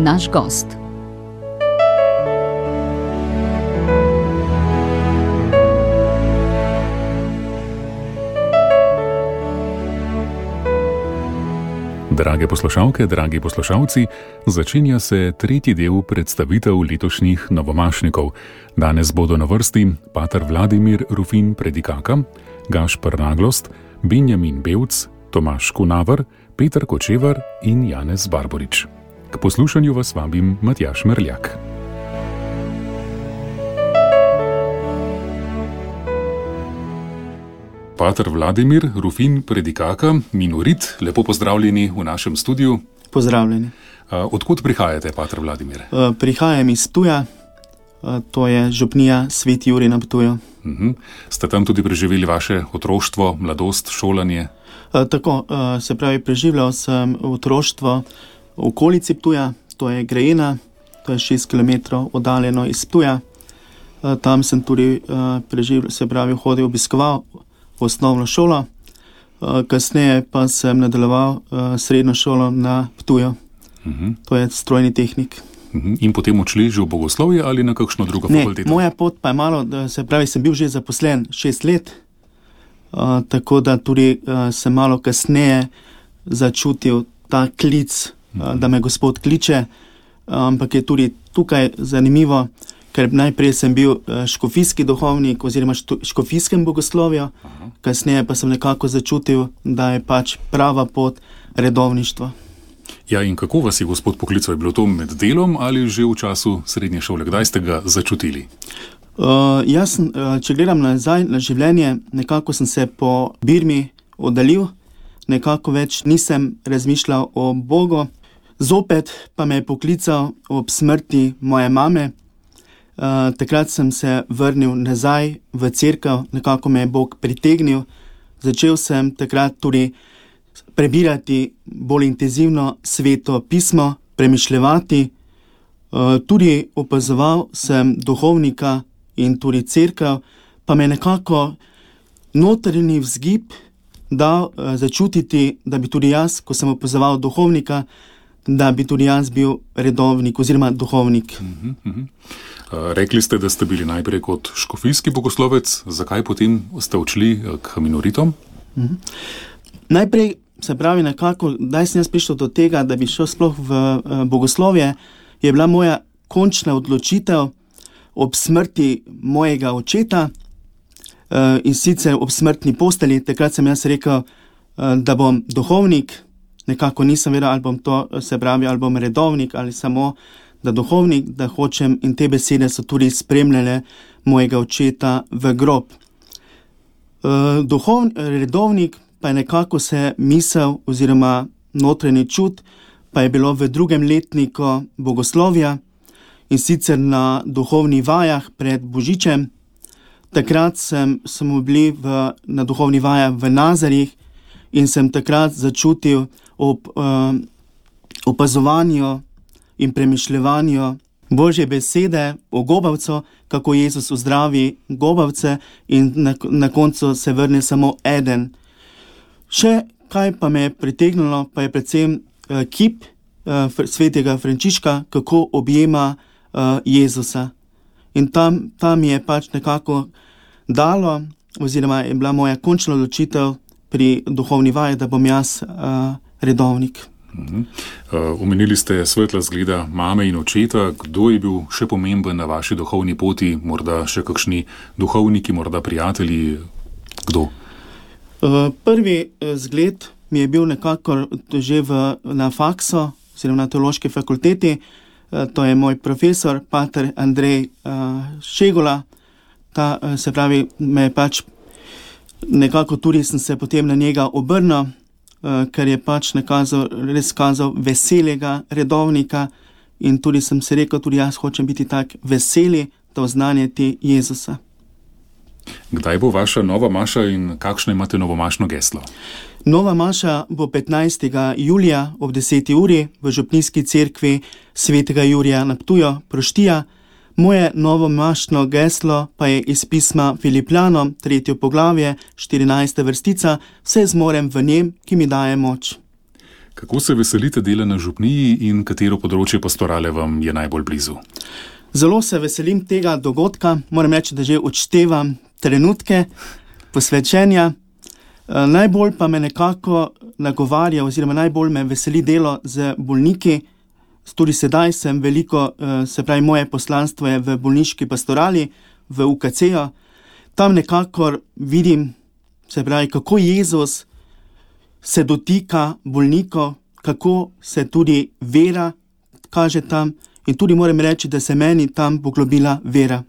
naš gost. Drage poslušalke, dragi poslušalci, začenja se tretji del predstavitev letošnjih novomašnikov. Danes bodo na vrsti pater Vladimir Rufin Predikaka, Gašper Naglost, Benjamin Bevc, Tomaž Kunaver, Peter Kočevar in Janez Barborič. K poslušanju vas vabim Matjaž Merljak. Pater Vladimir Rufin Predikaka, minorit, lepo pozdravljeni v našem studiu. Pozdravljeni. Odkot prihajate, pater Vladimir? Prihajam iz Ptuja, to je župnija Sveti Jurij na Ptuju. Ste tam tudi preživeli vaše otroštvo, mladost, šolanje? Tako, se pravi, preživljal sem otroštvo v okolici Ptuja, to je Grejena, to je 6 km oddaljeno iz Ptuja. Tam sem tudi preživljal, se pravi, hodil, obiskoval osnovno šolo, kasneje pa sem nadaljeval srednjo šolo na Ptuju. To je strojni tehnik. In potem odšli že v bogoslovje ali na kakšno drugo fakulteto? Ne, moja pot pa je malo, se pravi, sem bil že zaposlen 6 let, tako da tudi sem malo kasneje začutil ta klic, da me Gospod kliče, ampak je tudi tukaj zanimivo, ker najprej sem bil škofijski duhovnik oziroma škofijskem bogoslovju, kasneje pa sem nekako začutil, da je pač prava pot redovništvo. Ja, in kako vas je Gospod poklical? Je bilo to med delom ali že v času srednje šole? Kdaj ste ga začutili? Jaz, če gledam nazaj na življenje, nekako sem se po Birmi oddaljil, nekako več nisem razmišljal o Bogu, zopet pa me je poklical ob smrti moje mame. Takrat sem se vrnil nazaj v cerkev, nekako me je Bog pritegnil. Začel sem takrat tudi prebirati bolj intenzivno Sveto pismo, premišljevati. Tudi opazoval sem duhovnika in tudi cerkev, pa me nekako notranji vzgib dal začutiti, da bi tudi jaz, ko sem opazoval duhovnika, da bi tudi jaz bil redovnik oziroma duhovnik. Rekli ste, da ste bili najprej kot škofijski bogoslovec, zakaj potem ste odšli k minoritom? Najprej, se pravi, nekako, da sem jaz prišel do tega, da bi šel sploh v bogoslovje, je bila moja končna odločitev ob smrti mojega očeta in sicer ob smrtni postelji. Takrat sem jaz rekel, da bom duhovnik, nekako nisem vedel, ali bom to, se pravi, ali bom redovnik ali samo da duhovnik, da hočem, in te besede so tudi spremljale mojega očeta v grob. Redovnik pa je nekako se misel oziroma notranji čut, pa je bilo v 2. letniku bogoslovja in sicer na duhovnih vajah pred Božičem. Takrat smo bili na duhovnih vajah v Nazarih in sem takrat začutil ob opazovanju in premišljevanju Božje besede o gobavcu, kako Jezus uzdravi gobavce in na koncu se vrne samo eden. Še kaj pa me je pritegnilo, pa je predvsem kip svetega Frančiška, kako objema Jezusa. In tam je pač nekako dalo, oziroma je bila moja končna odločitev pri duhovni vaji, da bom jaz redovnik. Omenili ste svetla zgleda mame in očeta. Kdo je bil še pomemben na vaši duhovni poti? Morda še kakšni duhovniki, morda prijatelji? Kdo? Prvi zgled mi je bil nekako že na faksu, oziroma na teološki fakulteti. To je moj profesor, pater Andrej Šegula. Se pravi, me pač nekako tudi sem se potem na njega obrnil, ker je pač res kazal veselega redovnika in tudi sem se rekel, tudi jaz hočem biti tak veseli, da oznanjati Jezusa. Kdaj bo vaša nova maša in kakšno imate novomašno geslo? Nova maša bo 15. julija ob 10. uri v župnijski cerkvi Svetega Jurija na Ptuju, Proštija. Moje novomašno geslo pa je iz pisma Filipljanom, 3. poglavje, 14. vrstica, vse zmorem v njem, ki mi daje moč. Kako se veselite dela na župniji in katero področje pastorale vam je najbolj blizu? Zelo se veselim tega dogodka, moram reči, da že odštevam trenutke posvečenja. Najbolj pa me nekako nagovarja oziroma najbolj me veseli delo z bolniki. Tudi sedaj sem veliko, moje poslanstvo je v bolniški pastorali, v UKC-ju. Tam nekako vidim, kako Jezus se dotika bolnikov, kako se tudi vera kaže tam in tudi moram reči, da se meni tam poglobila vera.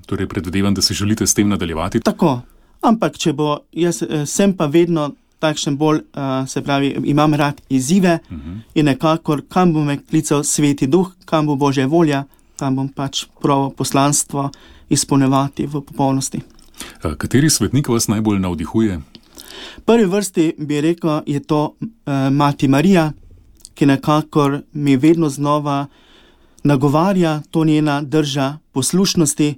Torej predvidevam, da si želite s tem nadaljevati? Tako, ampak če bo, jaz sem pa vedno takšen bolj, imam rad izzive in nekako, kam bo me klical Sveti Duh, kam bo Božja volja, tam bom pač pravo poslanstvo izpolnjevati v popolnosti. Kateri svetnik vas najbolj navdihuje? V prvi vrsti bi rekel, je to Mati Marija, ki nekako mi vedno znova nagovarja, to njena drža poslušnosti.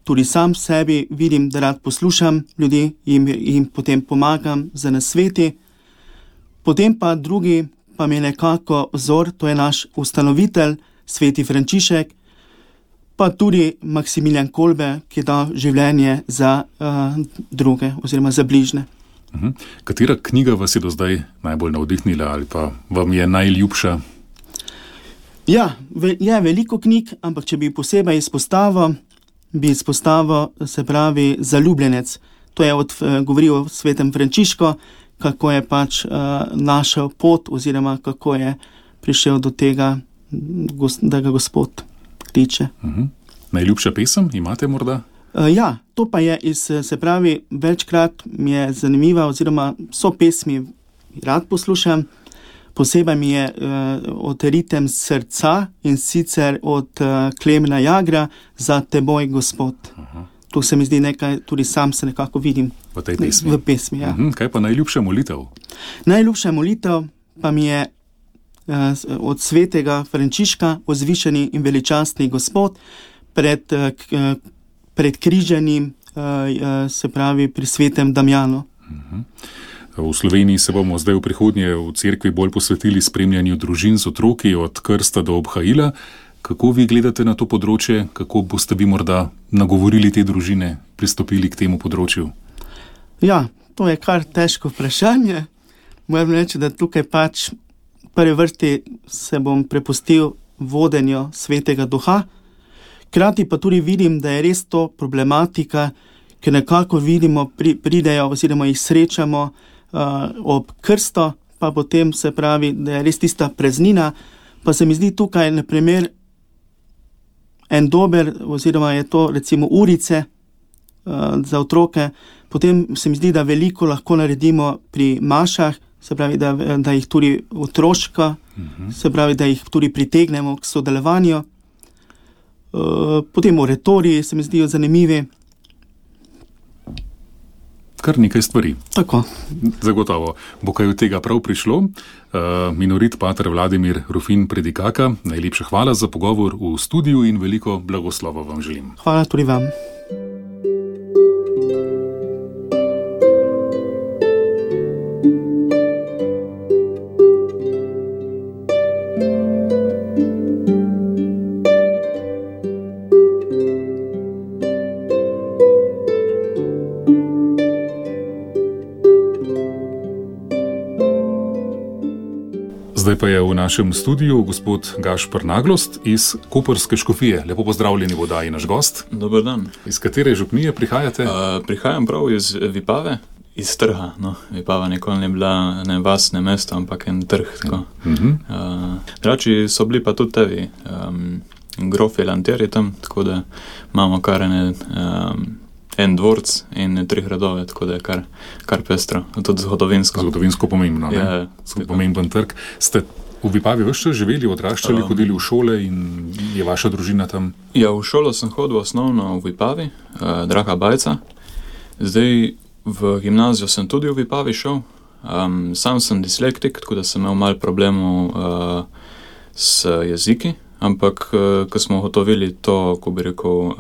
Tudi sam sebi vidim, da rad poslušam ljudi in jim potem pomagam za nasveti. Potem pa drugi pa mi je nekako vzor, to je naš ustanovitelj, Sveti Frančišek, pa tudi Maksimilijan Kolbe, ki je dal življenje za druge oziroma za bližne. Katera knjiga vas je do zdaj najbolj navdihnila ali pa vam je najljubša? Ja, je veliko knjig, ampak če bi posebej izpostavil, Zaljubljenec. To je govoril o svetem Frančišku, kako je pač našel pot oziroma kako je prišel do tega, da ga Gospod kliče. Najljubša pesem imate morda? Ja, to pa je večkrat mi je zanimiva oziroma so pesmi, rad poslušam. Posebej mi je od Ritem srca in sicer od Klemena Jagra Za teboj, Gospod. To se mi zdi nekaj, tudi sam se nekako vidim v tej pesmi. V pesmi, ja. Kaj pa najljubša molitev? Najljubša molitev pa mi je od svetega Frančiška, Vzvišeni in veličastni Gospod, pred križanjem, pri svetem Damjanu. V Sloveniji se bomo zdaj v prihodnje v cerkvi bolj posvetili spremljanju družin z otroki od krsta do obhajila. Kako vi gledate na to področje? Kako boste vi morda nagovorili te družine, pristopili k temu področju? Ja, to je kar težko vprašanje. Moram reči, da tukaj pač v prvi vrsti se bom prepustil vodenju Svetega Duha. Hkrati pa tudi vidim, da je res to problematika, ki nekako vidimo, pridejo oziroma jih srečamo ob krsto, pa potem da je res tista praznina, pa se mi zdi tukaj na primer en dober, oziroma je to recimo urice za otroke, potem se mi zdi, da veliko lahko naredimo pri mašah, da jih tudi otroška, da jih tudi pritegnemo k sodelovanju. Potem oratoriji se mi zdijo zanimivi. Kar nekaj stvari. Tako. Zagotovo bo kaj od tega prav prišlo. Minorit pater Vladimir Rufin Predikaka, najlepša hvala za pogovor v studiu in veliko blagoslova vam želim. Hvala tudi vam. Zdaj pa je v našem studiu gospod Gašper Naglost iz Koprske škofije. Lepo pozdravljeni v oddaji naš gost. Dober dan. Iz katere župnije prihajate? Prihajam prav iz Vipave, iz trga. No, Vipava nikoli ne bila ne vas, ne mesto, ampak en trg. Drači so bili pa tudi tevi grofi lanteri tam, tako da imamo kar en dvorc in 3 gradove, tako da je kar pestro, tudi zgodovinsko. Zgodovinsko pomembno, ne? Ja, pomemben trg. Ste v Vipavi ves čas živeli, odraščali, hodili v šole in je vaša družina tam? Ja, v šolo sem hodil osnovno v Vipavi, Draga Bajca. Zdaj v gimnazijo sem tudi v Vipavi šel. Sam sem dislektik, tako da sem imel malo problemov s jeziki, ampak ko smo ugotovili to, ko bi rekel,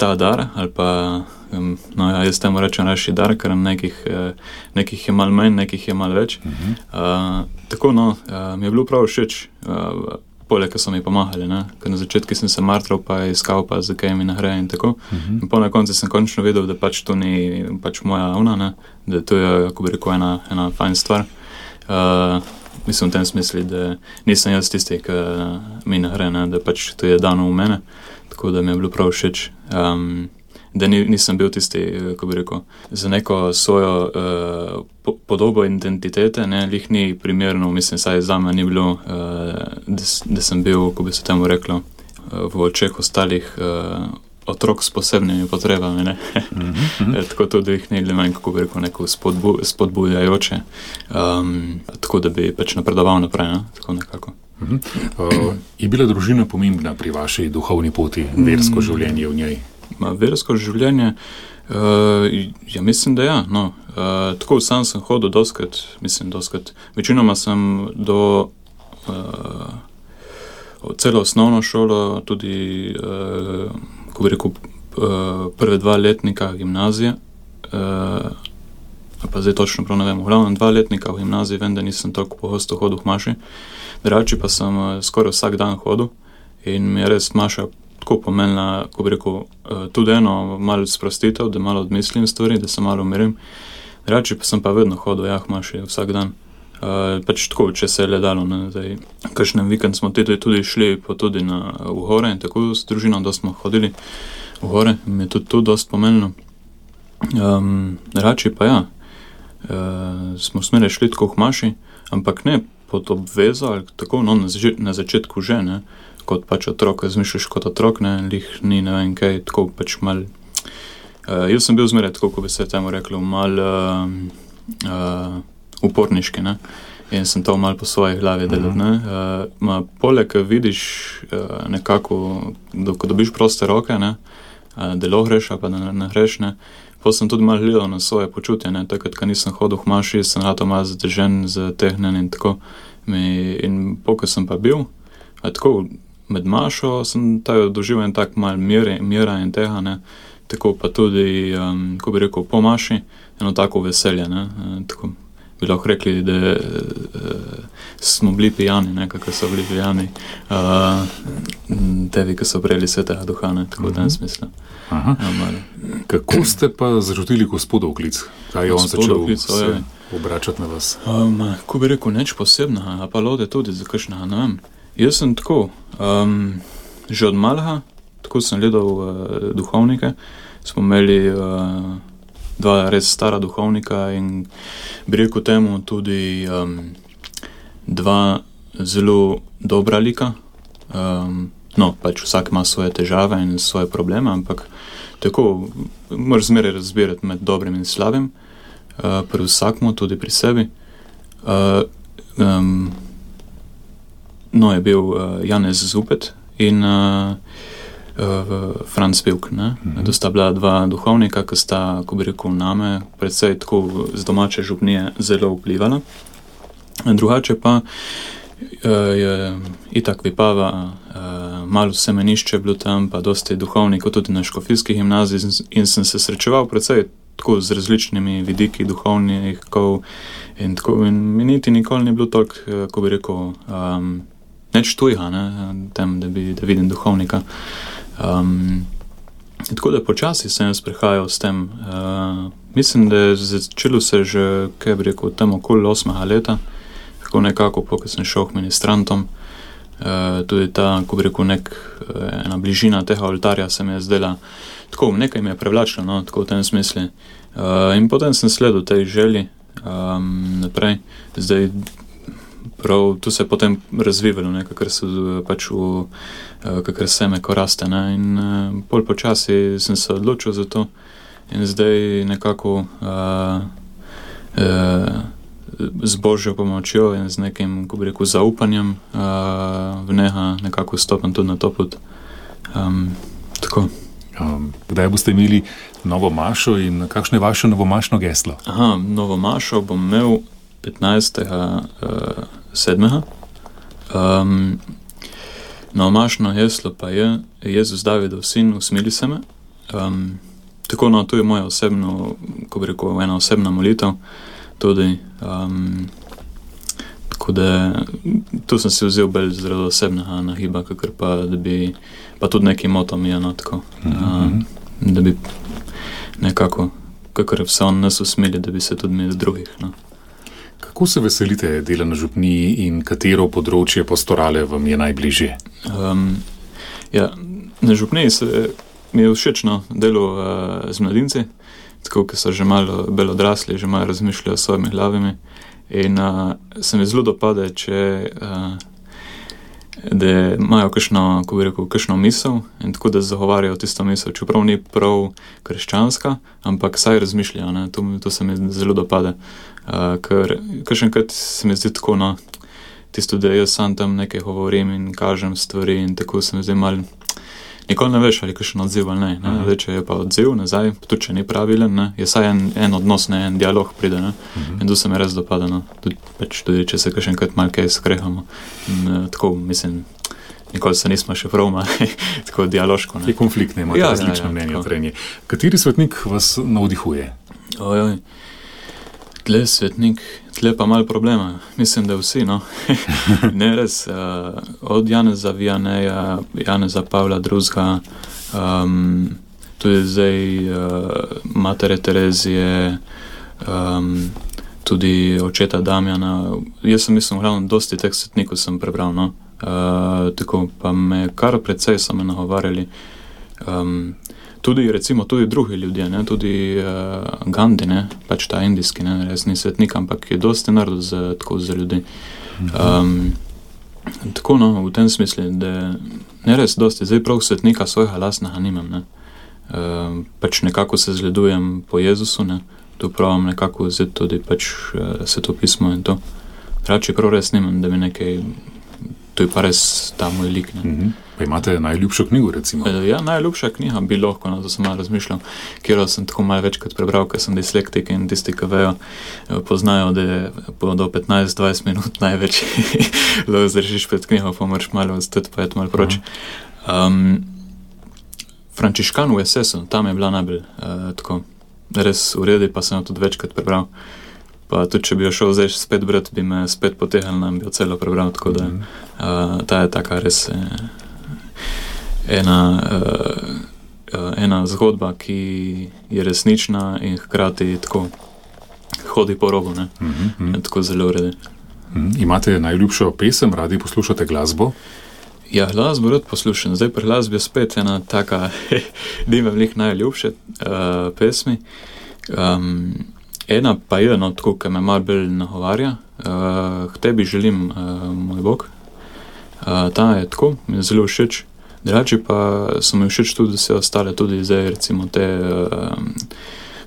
ta dar, ali pa, no ja, jaz temu rečem reči dar, ker nekih je malo manj, nekih je malo več. Tako, no, mi je bilo prav všeč, poleg, ko so mi pomagali, ne, ker na začetku sem se martral, pa iskal, pa zakaj mi ne gre in tako. In po na koncu sem končno vedel, da pač to ni pač moja ona, ne, da to je, kako bi rekel, ena fajn stvar. Mislim v tem smislu, da nisem jaz tisti, ki mi ne gre, ne, da pač to je dano v mene, tako da mi je bilo prav všeč. Da nisem bil tisti, kako bi rekel, za neko svojo podobo identitete, ne, lih ni primerno, mislim, saj za me ni bilo, da sem bil, ko bi se temu reklo, v očeh ostalih otrok s posebnimi potrebami, ne. Tako tudi jih ni bilo manj, kako bi rekel, neko spodbujajoče, tako da bi pač napredoval naprej, ne, tako nekako. Je bila družina pomembna pri vaši duhovni poti, versko življenje v njej? Versko življenje, ja mislim, da ja, no. Tako sam sem hodil doskrat, večinoma sem do celo osnovno šolo, tudi, ko bi rekel, prve 2 letnika gimnazije, pa zdaj točno prav ne vem, v glavnem 2 letnika v gimnaziji, vem, da nisem toliko pogosto hodil v maši, drugače pa sem skoraj vsak dan hodil in mi je res maša tako pomenila, ko bi rekel, tudi eno malo sprostitev, da malo odmislim stvari, da se malo umirim. Drugače pa sem pa vedno hodil, maši vsak dan. Pač tako, če se je le dalo, ne, zdaj, kakšen vikend smo tudi šli pa tudi v gore in tako s družino, dosti smo hodili v gore, mi je tudi to dosti pomenilo. Drugače pa ja, smo smeli šli tako v maši, ampak ne pod obvezo, ali tako, no, na začetku že, ne, kot pač otrok, razmišljaš kot otrok, ne, lih ni, ne vem kaj, tako pač mal, jaz sem bil zmeraj tako, ko bi se temu reklo, mal uporniški, ne, in sem to mal po svoji glavi delal, ne, poleg vidiš nekako, ko dobiš proste roke, ne, da lahko greš, pa da ne greš, ne, potem sem tudi mal gledal na svoje počutje, ne, takrat, ko nisem hodil v maši, sem rato mal zadržen, zatehnen in tako, in ko sem pa bil, tako, med mašo sem doživel en tak mal mira in tega, ne, tako pa tudi, ko bi rekel, po maši, eno tako veselje, ne, tako bi lahko rekli, da smo bili pijani, ne, kako so bili pijani, tevi, ki so prejeli Svetega Duha, ne, tako v tem smislu. Kako ste pa začutili Gospodov klic? Kaj je on začel se obračati na vas? Ko bi rekel, neč posebna, pa lode tudi za kakšnega, ne vem. Jaz sem tako, že od malega, tako sem gledal duhovnike, smo imeli 2 res stara duhovnika in bi rekel temu tudi 2 zelo dobra lika. No, pač vsak ima svoje težave in svoje probleme, ampak tako moraš zmeraj razbirati med dobrim in slabim, pri vsakmu, tudi pri sebi. No, je bil Janez Zupet in Franc Pivk, ne. To sta bila 2 duhovnika, ki sta, ko bi rekel, name, predvsej tako z domače župnije zelo vplivala. Drugače pa je itak Vipava, malo semenišče bilo tam, pa dosti duhovnikov tudi na škofijski gimnaziji in sem se srečeval predvsej tako z različnimi vidiki duhovnikov in tako, in mi niti nikoli ni bilo toliko, ko bi rekel, neč tujega, ne, tem, da vidim duhovnika. Tako da počasi sem jaz prihajal s tem. Mislim, da je začelo se že, kaj bi rekel, tam okoli 8. leta, tako nekako, ko sem šel k ministrantom, tudi ta, ko bi rekel, ena bližina tega oltarja se mi je zdela, tako, nekaj mi je privlačilo, no, tako v tem smislu. In potem sem sledil tej želji naprej. Zdaj, prav, tu se je potem razvivalo, ne, kakor se pač kakor seme, ko raste, ne, in pol počasi sem se odločil za to in zdaj nekako z Božjo pomočjo in z nekim, ko bi rekel, zaupanjem v njega nekako stopam tudi na to pot. Tako. Kdaj boste imeli novo mašo in kakšno je vaše novomašno geslo? Novo mašo bom imel 15.7. Novomašno geslo pa je: Jezus Davidov sin, usmili se me. Tako, no, to je moja osebno, ko bi rekel, ena osebna molitev tudi. Tako da tu sem si vzel bolj zelo osebnega nagiba, kakor pa, da bi pa tudi neki moto mi je, no, tako. Da bi nekako, kakor se on nas usmili, da bi se tudi mi drugih, no. Kako se veselite dela na župniji in katero področje pastorale vam je najbližje? Ja, na župniji mi je všečno delo z mladinci, tako, ki so že malo bolj odrasli, že malo razmišljajo s svojimi glavami. In se mi zelo dopade, da imajo kakšno, ko bi rekel, kakšno misel in tako, da zagovarjajo tisto misel, čeprav ni prav krščanska, ampak saj razmišljajo, ne, to se mi zelo dopade. Ker kakšenkrat se mi zdi tako, no, tisto, da jaz sam tam nekaj govorim in kažem stvari in tako se mi zdi malo, nikoli ne veš, ali kakšen odziv ali ne. Zdaj, če je pa odziv nazaj, tudi če ni pravilen, ne, je saj en odnos, ne, en dialog pride, ne, in to se mi res dopada, no, tudi če se kakšenkrat malo kaj skrehamo. In tako, mislim, nikoli se nismo še prav malo, tako dialoško, ne. Je konflikt, ne, imate različno mnenje o trenje. Kateri svetnik vas navdihuje? Ojoj, tle svetnik, tle pa malo problema. Mislim, da vsi, no. Ne, res, od Janeza Vianeja, Janeza Pavla II, tudi zdaj matere Terezije, tudi očeta Damjana. Jaz sem mislim, glavno, dosti teh svetnikov sem prebral, no. Tako, pa me kar precej so me nagovarjali. Tudi, recimo, tudi drugi ljudje, ne, tudi Gandhi, ne, pač ta indijski, ne, res ni svetnik, ampak je dosti naredil tako za ljudi. Tako, no, v tem smislu, da ne res dosti, zdaj prav svetnika svojega lastnega nimam, ne. Pač nekako se zgledujem po Jezusu, ne, tu pravim nekako vzeti tudi pač svetopismo in to. Rači prav res nimam, da bi nekaj, to je pa res ta moj lik, ne. Pa imate najljubšo knjigo, recimo? Ja, najljubša knjiga bi lahko, no, to sem malo razmišljal, kjer sem tako malo večkrat prebral, ker sem dislektik in tisti, ki vejo, poznajo, da je do 15-20 minut največ lahko zdržiš pred knjigo, pa moraš malo ostati, pa je malo proč. Frančiškan v SS-u, tam je bila najbolj tako res v redu, pa sem jo tudi večkrat prebral. Pa tudi, če bi jo šel zdaj spet brat, bi me spet potehnil, nam bi jo celo prebral, tako da ta je taka res ena zgodba, ki je resnična in hkrati tako hodi po robu, ne? Tako zelo uredi. Imate najljubšo pesem, radi poslušate glasbo? Ja, glasbo rad poslušam. Zdaj pri glasbi je spet ena taka, nimam njih najljubše pesmi. Ena pa je, no, tako, ki me malo bolj nagovarja. K tebi želim, moj Bog. Ta je tako, mi je zelo všeč. Drugače pa so mi všeč tudi vse ostale, tudi zdaj recimo te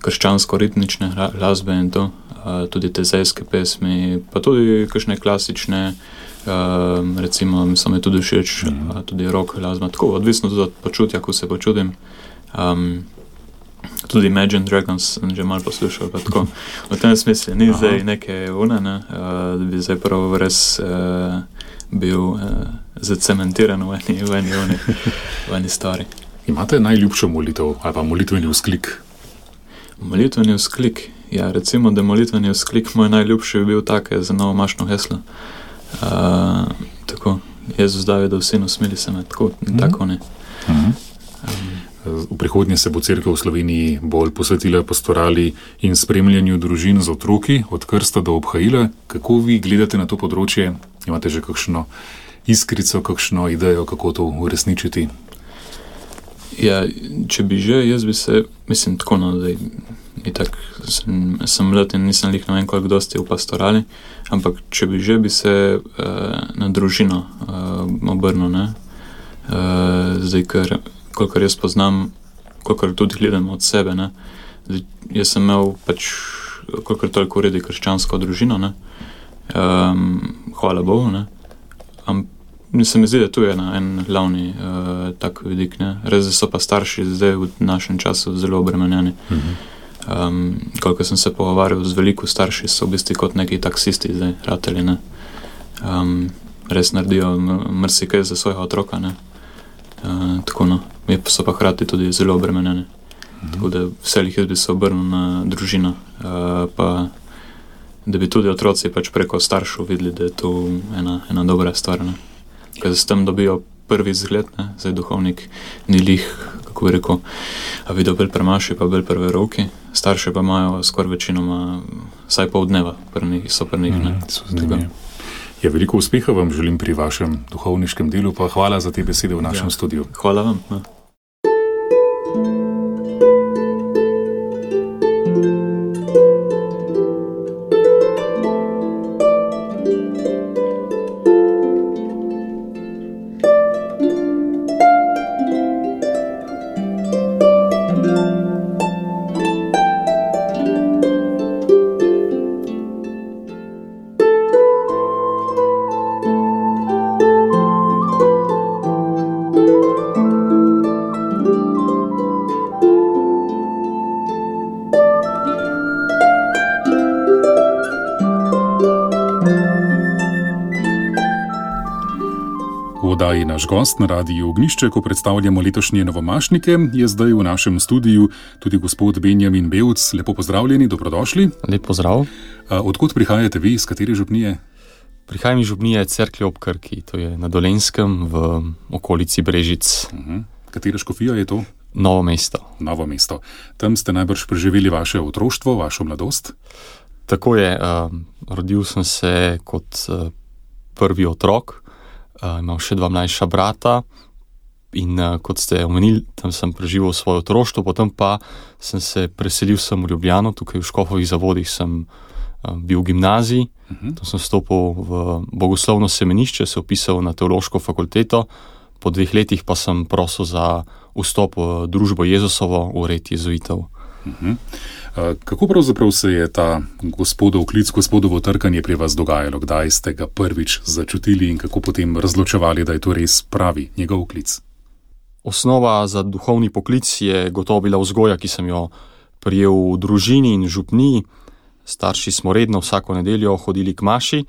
krščansko-ritmične glasbe in to, tudi te zejske pesmi, pa tudi kakšne klasične, recimo so mi tudi všeč, tudi rock glasba, tako odvisno tudi od počutja, ko se počutim. Tudi Imagine Dragons sem že malo poslušal, pa tako. V tem smislu ni zdaj neke une, ne, da bi zdaj prav res bil zacementiran v eni stvari. Imate najljubšo molitev ali pa molitveni vzklik? Molitveni vzklik? Ja, recimo, da molitveni vzklik moj najljubši bi bil tak za novomašno heslo. Tako, Jezus Davidov sin, usmili se me, tako ne. V prihodnje se bo cerkev v Sloveniji bolj posvetila pastorali in spremljanju družin z otroki, od krsta do obhajila. Kako vi gledate na to področje? Imate že kakšno iskrico, kakšno idejo, kako to uresničiti? Ja, če bi že, jaz bi se, mislim, tako, no, da itak sem mlad in nisem lih ne vem koliko dosti v pastorali, ampak če bi že, bi se na družino obrnil, ne. Zdaj, ker kolikor jaz poznam, kolikor tudi gledam od sebe, ne. Zdaj, jaz sem imel pač kolikor toliko uredi krščansko družino, ne. Hvala Bogu, ne. Se mi zdi, da tu je en glavni tak vidik, ne. Res, da so pa starši zdaj v našem času zelo obremenjeni. Koliko sem se pogovarjal z veliko starši, so v bistvu kot neki taksisti zdaj, rateli, ne. Res naredijo marsikaj za svojega otroka, ne. Tako, no. so pa hkrati tudi zelo obremenjene. Tako da vselih jaz bi se obrnil na družino, pa da bi tudi otroci pač preko staršev videli, da je to ena dobra stvar. Ker s tem dobijo prvi zgled, zdaj duhovnik ni lih, kako bi rekel, videl bolj premaši, pa bolj prve roki, starše pa imajo skoraj večinoma vsaj pol dneva, so pri njih. Ja, veliko uspeha vam želim pri vašem duhovniškem delu, pa hvala za te besede v našem studiu. Hvala vam. Naš gost na Radiu Ognjišče, ko predstavljamo letošnje novomašnike, je zdaj v našem studiu tudi gospod Benjamin Bevc. Lepo pozdravljeni, dobrodošli. Lep pozdrav. Odkot prihajate vi, iz katere župnije? Prihajam iz župnije Cerklje ob Krki, to je na Dolenjskem v okolici Brežic. Katera škofija je to? Novo mesto. Novo mesto. Tam ste najbrž preživeli vaše otroštvo, vašo mladost? Tako je. Rodil sem se kot prvi otrok. Imam še 2 mlajša brata in kot ste omenili, tam sem preživel svoje otroštvo, potem pa sem se preselil sem v Ljubljano, tukaj v Škofovih Zavodih sem bil v gimnaziji, tam sem stopil v bogoslovno semenišče, se upisal na teološko fakulteto, po 2 letih pa sem prosil za vstop v družbo Jezusovo, v red jezuitov. Kako pravzaprav se je ta gospodov klic, gospodovo trkanje pri vas dogajalo? Kdaj ste ga prvič začutili in kako potem razločevali, da je to res pravi njegov klic? Osnova za duhovni poklic je gotovo bila vzgoja, ki sem jo prijel v družini in župniji. Starši smo redno vsako nedeljo hodili k maši.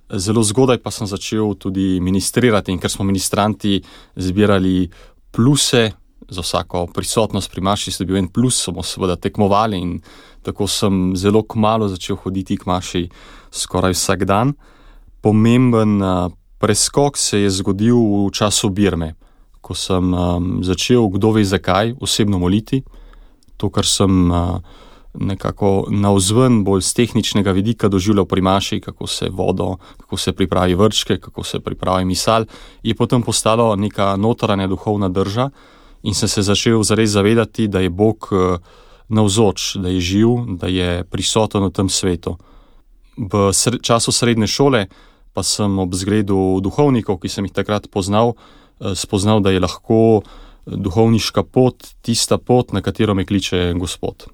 Zelo zgodaj pa sem začel tudi ministrirati in ker smo ministranti zbirali pluse, za vsako prisotnost pri maši sem dobil en plus, smo seveda tekmovali in tako sem zelo kmalu začel hoditi k maši skoraj vsak dan. Pomemben preskok se je zgodil v času birme, ko sem začel, kdo ve zakaj, osebno moliti. To, kar sem nekako navzven bolj z tehničnega vidika doživljal pri maši, kako se vodo, kako se pripravi vrčke, kako se pripravi misal, je potem postalo neka notranja duhovna drža. In sem se začel zares zavedati, da je Bog navzoč, da je živ, da je prisoten v tem svetu. V času srednje šole pa sem ob zgledu duhovnikov, ki sem jih takrat poznal, spoznal, da je lahko duhovniška pot tista pot, na katero me kliče Gospod.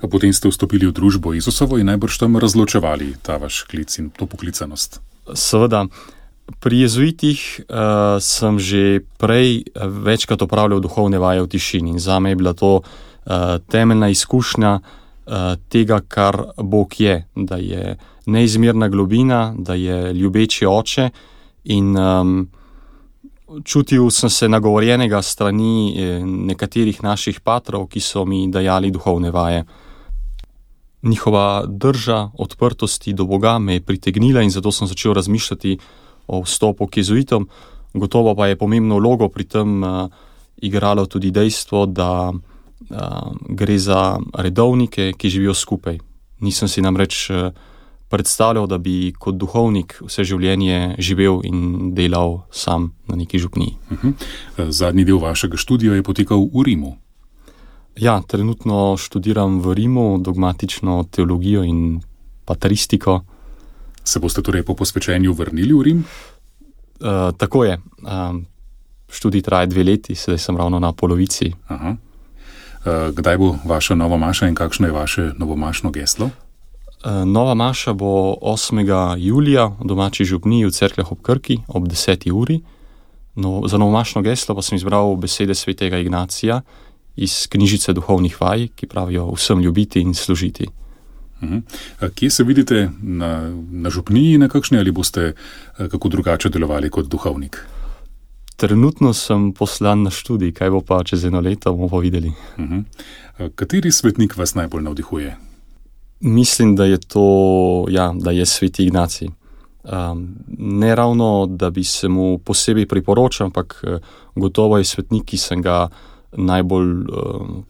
A potem ste vstopili v družbo Jezusovo in najbrž tam razločevali ta vaš klic in to poklicanost. Seveda. Pri jezuitih sem že prej večkrat opravljal duhovne vaje v tišini in zame je bila to temeljna izkušnja tega, kar Bog je, da je neizmerna globina, da je ljubeči oče in čutil sem se nagovorjenega strani nekaterih naših patrov, ki so mi dajali duhovne vaje. Njihova drža odprtosti do Boga me je pritegnila in zato sem začel razmišljati o vstopu k jezuitom. Gotovo pa je pomembno vlogo pri tem igralo tudi dejstvo, da gre za redovnike, ki živijo skupaj. Nisem si namreč predstavljal, da bi kot duhovnik vse življenje živel in delal sam na neki župniji. Zadnji del vašega študija je potekal v Rimu. Ja, trenutno študiram v Rimu dogmatično teologijo in patristiko. Se boste torej po posvečenju vrnili v Rim? Tako je. Študij traja 2 leti, sedaj sem ravno na polovici. Aha. Kdaj bo vaša nova maša in kakšno je vaše novomašno geslo? Nova maša bo 8. julija v domači župniji v Cerkljah ob Krki ob 10. uri. No, za novomašno geslo pa sem izbral besede svetega Ignacija iz knjižice duhovnih vaj, ki pravijo vsem ljubiti in služiti. Kje se vidite na župniji nekakšni ali boste kako drugače delovali kot duhovnik? Trenutno sem poslan na študij, kaj bo pa čez 1 leto, bomo pa videli. Kateri svetnik vas najbolj navdihuje? Mislim, da je to, da je sveti Ignacij. Ne ravno, da bi se mu posebej priporočal, ampak gotovo je svetnik, ki sem ga najbolj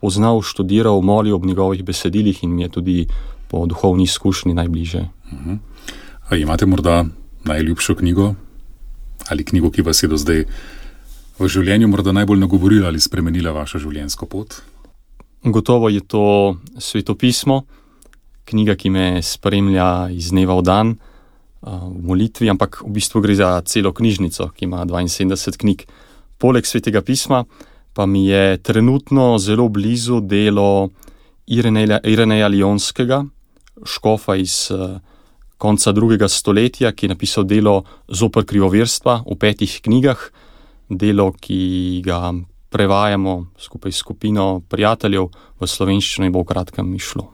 poznal, študiral, molil ob njegovih besedilih in mi je tudi po duhovni izkušnji najbližje. A imate morda najljubšo knjigo ali knjigo, ki vas je do zdaj v življenju morda najbolj nagovorila ali spremenila vašo življenjsko pot? Gotovo je to svetopismo, knjiga, ki me spremlja iz dneva v dan v molitvi, ampak v bistvu gre za celo knjižnico, ki ima 72 knjig. Poleg svetega pisma pa mi je trenutno zelo blizu delo Ireneja Lionskega, škofa iz konca 2. stoletja, ki je napisal delo Zoper krivoverstva v 5 knjigah, delo, ki ga prevajamo skupaj s skupino prijateljev v slovenščino in bo v kratkem išlo.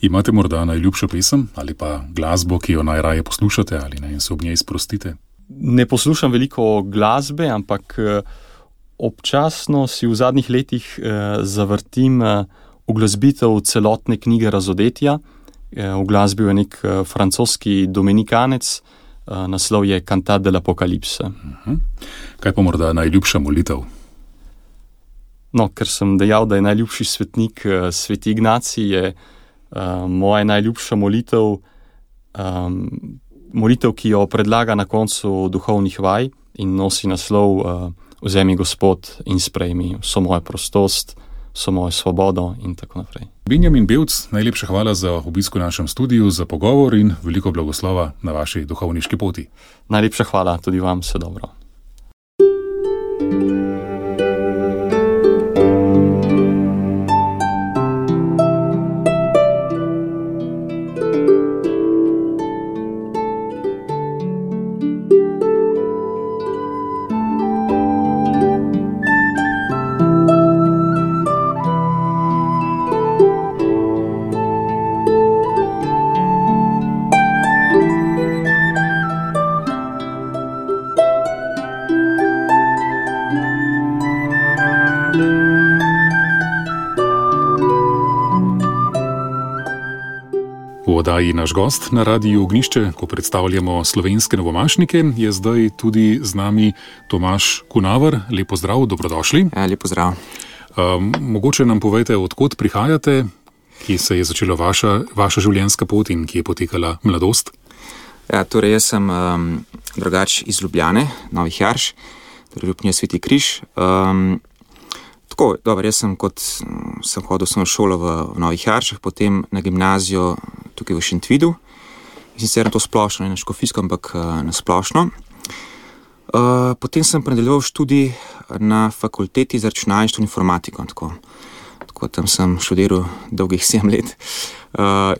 Imate morda najljubšo pesem ali pa glasbo, ki jo najraje poslušate ali naj se ob njej sprostite? Ne poslušam veliko glasbe, ampak občasno si v zadnjih letih zavrtim uglasbitev celotne knjige Razodetja. Uglasbil je nek francoski dominikanec, naslov je Cantate de l'Apocalypse. Kaj pa morda najljubša molitev? No, ker sem dejal, da je najljubši svetnik sveti Ignacij, je moja najljubša molitev, molitev, ki jo predlaga na koncu duhovnih vaj in nosi naslov Vzemi Gospod in sprejmi vso mojo prostost, vso mojo svobodo in tako naprej. Benjamin Bevc, najlepša hvala za obisk v našem studiu, za pogovor in veliko blagoslova na vaši duhovniški poti. Najlepša hvala, tudi vam, vse dobro. V oddaji Naš gost na Radiu Ognjišče, ko predstavljamo slovenske novomašnike, je zdaj tudi z nami Tomaž Kunaver. Lep pozdrav, dobrodošli. Lep pozdrav. Mogoče nam povejte, od kod prihajate, kje se je začela vaša življenjska pot in kje je potekala mladost? Torej jaz sem drugač iz Ljubljane, Novih Jarš, torej župnija Sveti Križ. Tako, dobro, jaz sem hodil v šolo v Novih Jaršah, potem na gimnazijo tukaj v Šentvidu, in sicer na to splošno, ne na škofijsko, ampak na splošno. Potem sem nadaljeval študij na fakulteti za računalništvo in informatiko, tako tam sem študiral dolgih 7 let.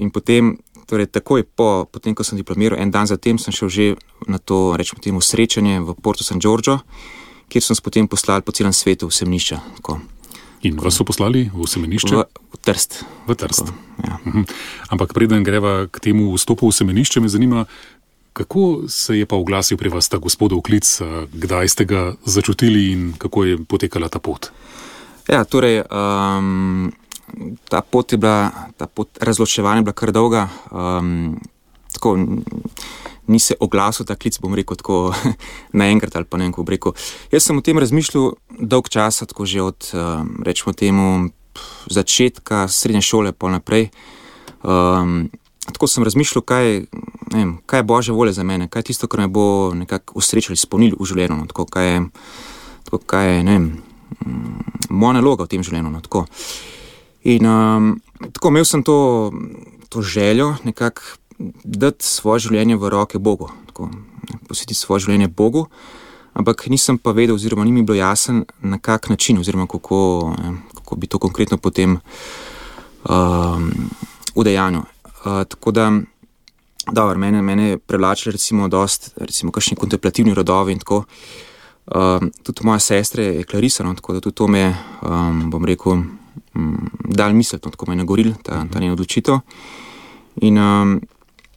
In potem, torej takoj potem, ko sem diplomiral, en dan zatem sem šel že na to, rečemo temu, srečanje v Porto San Giorgio, kjer so nas potem poslali po celem svetu v semenišča. In vas so poslali v semenišče? V Trst. V Trst. Tako, ja. Ampak preden greva k temu vstopu v semenišče, me zanima, kako se je pa oglasil pri vas ta gospodov klic, kdaj ste ga začutili in kako je potekala ta pot? Ja, torej, ta pot razločevanja je bila kar dolga. Tako, ni se oglasil ta klic, bom rekel, tako naenkrat ali pa ne vem, kako bi rekel. Jaz sem o tem razmišljal dolg časa, tako že od, rečemo temu, začetka srednje šole pol naprej. Tako sem razmišljal, kaj je Božja volja za mene, kaj je tisto, kar me bo nekako usrečilo, izpolnilo v življenju, no, tako, kaj je, ne vem, moja naloga v tem življenju, no, tako. In tako imel sem to željo nekako dati svoje življenje v roke Bogu, tako, posvetiti svoje življenje Bogu, ampak nisem pa vedel, oziroma ni mi bilo jasen, na kak način, oziroma kako bi to konkretno potem udejanil. Tako da, dobro, mene privlačili recimo kakšni kontemplativni rodovi in tako. Tudi moja sestra je Clarisa, no, tako da tudi to me, bom rekel, dal misliti, no, tako me je nagoril ta njen odločitev. In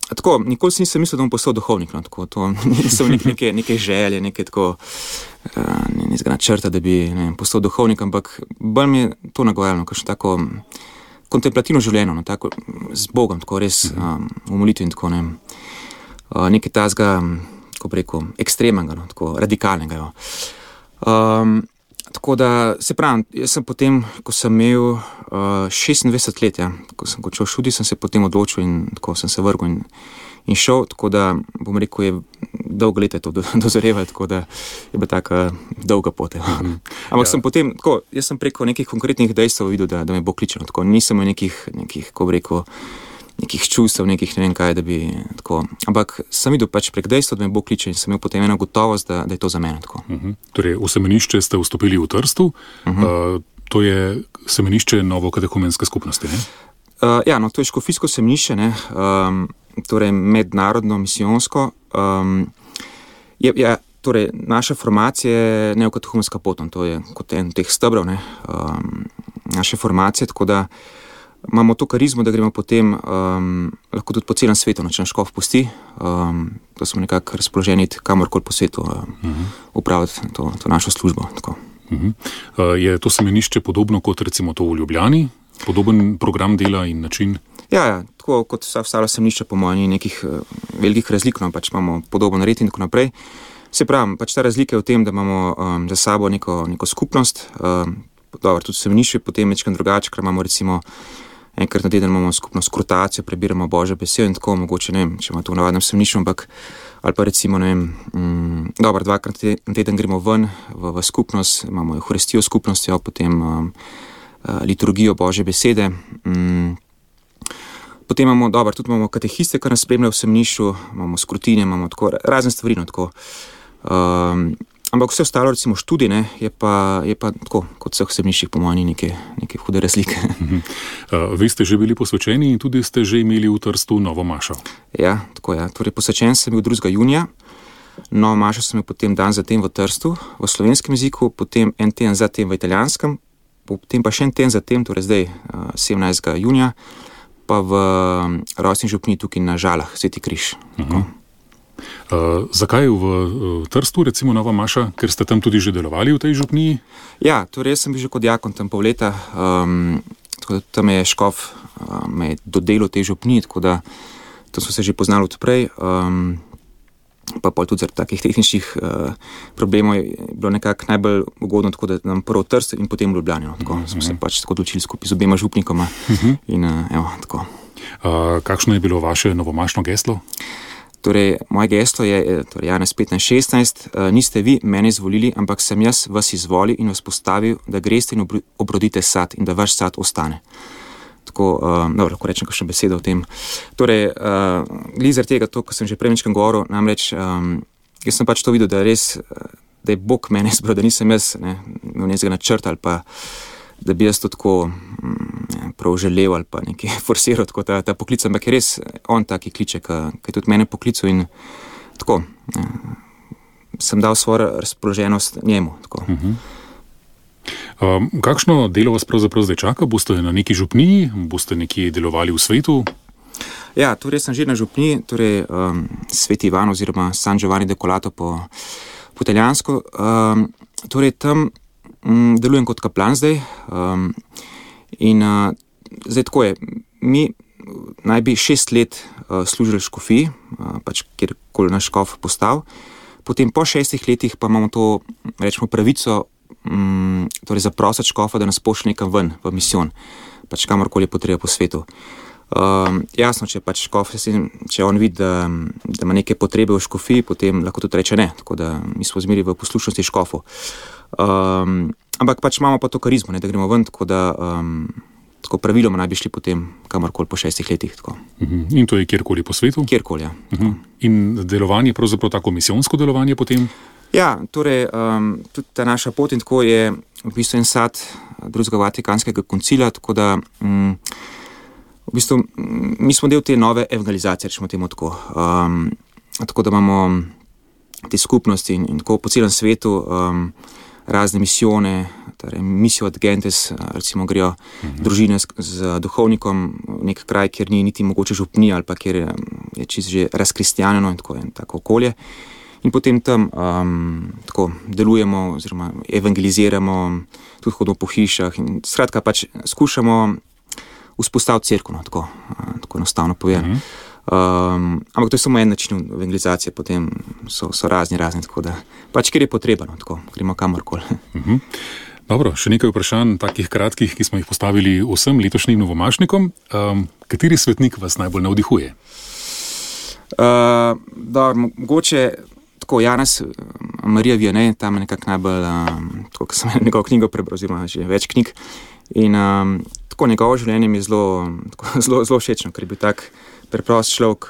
Tako, nikoli si nisem mislil, da bom postal duhovnik. No, tako, to nisem neke želje, neke tako načrta, da bi postal duhovnik, ampak bolj mi je to nagojalo, kakšno tako kontemplativno življenje, no, tako z Bogom, tako res v molitvi in tako nekaj tazga, kako bi rekel, ekstremnega, no, tako radikalnega. Jo. Tako da, se pravim, jaz sem potem, ko sem imel 26 let, ja, ko sem končal študij, sem se potem odločil in tako sem se vrgel in šel, tako da, bom rekel, je dolgo leta to dozorevalo, tako da je bila taka dolga pot. Ampak sem potem, tako, jaz sem preko nekih konkretnih dejstev videl, da me bo kličeno, tako, nisem imel nekih, kako bi rekel, nekih čustev, nekih ne vem kaj, da bi tako, ampak sem videl pač prek dejstva, da me bo kličen in sem imel potem eno gotovost, da je to za mene tako. Torej, v semenišče ste vstopili v Trstu, to je semenišče Novokatehumenske skupnosti, ne? Ja, no, to je škofijsko semenišče, ne, torej mednarodno, misijonsko. Torej, naša formacija je Neokatehumenska pot, to je kot en teh stebrov, ne, naše formacije, tako da imamo to karizmo, da gremo potem lahko tudi po celem svetu, če nas škof pusti, da smo nekako razpoloženi kamorkoli po svetu upraviti to našo službo. Tako. Je to semenišče podobno kot recimo to v Ljubljani? Podoben program dela in način? Ja, tako kot vsa ostala semenišča, po mojem, ni nekih velikih razlik, no, pač imamo podoben red in tako naprej. Se pravi, pač ta razlika je v tem, da imamo za sabo neko skupnost, dobro, tudi semenišče je potem večkrat drugače, ker imamo recimo enkrat na teden imamo skupno skrotacijo, prebiramo Božjo besedo in tako, mogoče ne vem, če imamo to v navadnem semenišču, ampak ali pa recimo, ne vem, dobro, 2krat na teden gremo ven v skupnost, imamo Euharistijo skupnostjo, potem liturgijo Božje besede. Potem imamo, dobro, tudi imamo katehiste, ki nas spremljajo v semenišču, imamo skrutine, imamo tako razne stvari, no, tako. Ampak vse ostalo, recimo študij, ne, je pa tako, kot vseh semeniščih, po mojem, neke hude razlike. Vi ste že bili posvečeni in tudi ste že imeli v Trstu novo mašo. Ja, tako je. Torej, posvečen sem bil 2. junija, novo mašo sem imel potem dan zatem v Trstu, v slovenskem jeziku, potem en teden zatem v italijanskem, potem pa še en teden zatem, torej zdaj 17. junija, pa v rojstni župniji tukaj na Žalah, Sveti križ. Zakaj v Trstu, recimo nova maša, ker ste tam tudi že delovali v tej župniji? Ja, torej jaz sem bil že kot diakon tam pol leta, tako da tam je škof me dodelil tej župniji, tako da tam smo se že poznali od prej, pa pol tudi zaradi takih tehničnih problemov je bilo nekako najbolj ugodno, tako da nam prvo Trst in potem Ljubljani, no, tako smo se pač tako odločili skupaj z obema župnikoma in evo, tako. Kakšno je bilo vaše novomašno geslo? Torej, moje geslo je torej Janez 15:16, niste vi mene izvolili, ampak sem jaz vas izvolil in vas postavil, da greste in obrodite sad in da vaš sad ostane. Tako, dobro, lahko rečem kakšno besedo o tem. Torej, glih zaradi tega, to, ko sem že prej večkrat govoril, namreč, jaz sem pač to videl, da res, da je Bog mene izbral, da nisem jaz imel nekega načrta ali pa da bi jaz to tako prav želel ali pa nekaj forsiral, tako ta poklic, ampak je res on taki kliče, ki je tudi mene poklical in tako, sem dal svojo razpoloženost njemu. Tako. Kakšno delo vas pravzaprav zdaj čaka? Boste na neki župniji? Boste nekje delovali v svetu? Ja, torej sem že na župniji, torej Sveti Ivan oziroma San Giovanni de Colato po italijansko. Torej tam delujem kot kaplan zdaj in zdaj tako je, mi naj bi 6 let služili škofiji, pač kjerkoli naš škof postal, potem po 6 letih pa imamo to, rečemo, pravico torej zaprositi škofa, da nas pošlje nekam ven v misijon, pač kamorkoli je potreba po svetu. Jasno, če pač škof, če on vidi, da ima neke potrebe v škofiji, potem lahko tudi reče ne, tako da mi smo zmeri v poslušnosti škofu. Ampak pač imamo pa to karizmo, ne, da gremo ven, tako da tako praviloma naj bi šli potem kamorkoli po 6 letih. Tako. In to je kjerkoli po svetu? Kjerkoli, ja. In delovanje, pravzaprav tako misijonsko delovanje potem? Ja, torej tudi ta naša pot in tako je v bistvu en sad Drugega Vatikanskega koncila, tako da v bistvu mi smo del te nove evangelizacije, rečemo temu tako. Tako da imamo te skupnosti in tako po celem svetu razne misijone, torej misijo ad gentes, recimo grejo družine z duhovnikom v nek kraj, kjer ni niti mogoče župnija ali pa kjer je čisto že razkristjanjeno in tako okolje. In potem tam tako delujemo oziroma evangeliziramo, tudi hodimo po hišah in skratka pač skušamo vzpostaviti cerkev, tako enostavno povem. Ampak to je samo en način evangelizacije, potem so razni, tako da pač kjer je potrebno, tako gremo kamorkoli. Dobro, še nekaj vprašanj, takih kratkih, ki smo jih postavili vsem letošnjim novomašnikom. Kateri svetnik vas najbolj navdihuje? Mogoče tako Janez Marija Vianney, tam je nekako najbolj, tako kot sem njegovo knjigo prebral, oziroma že več knjig. In tako njegovo življenje mi je zelo všečno, ker je bil tak preprost človek,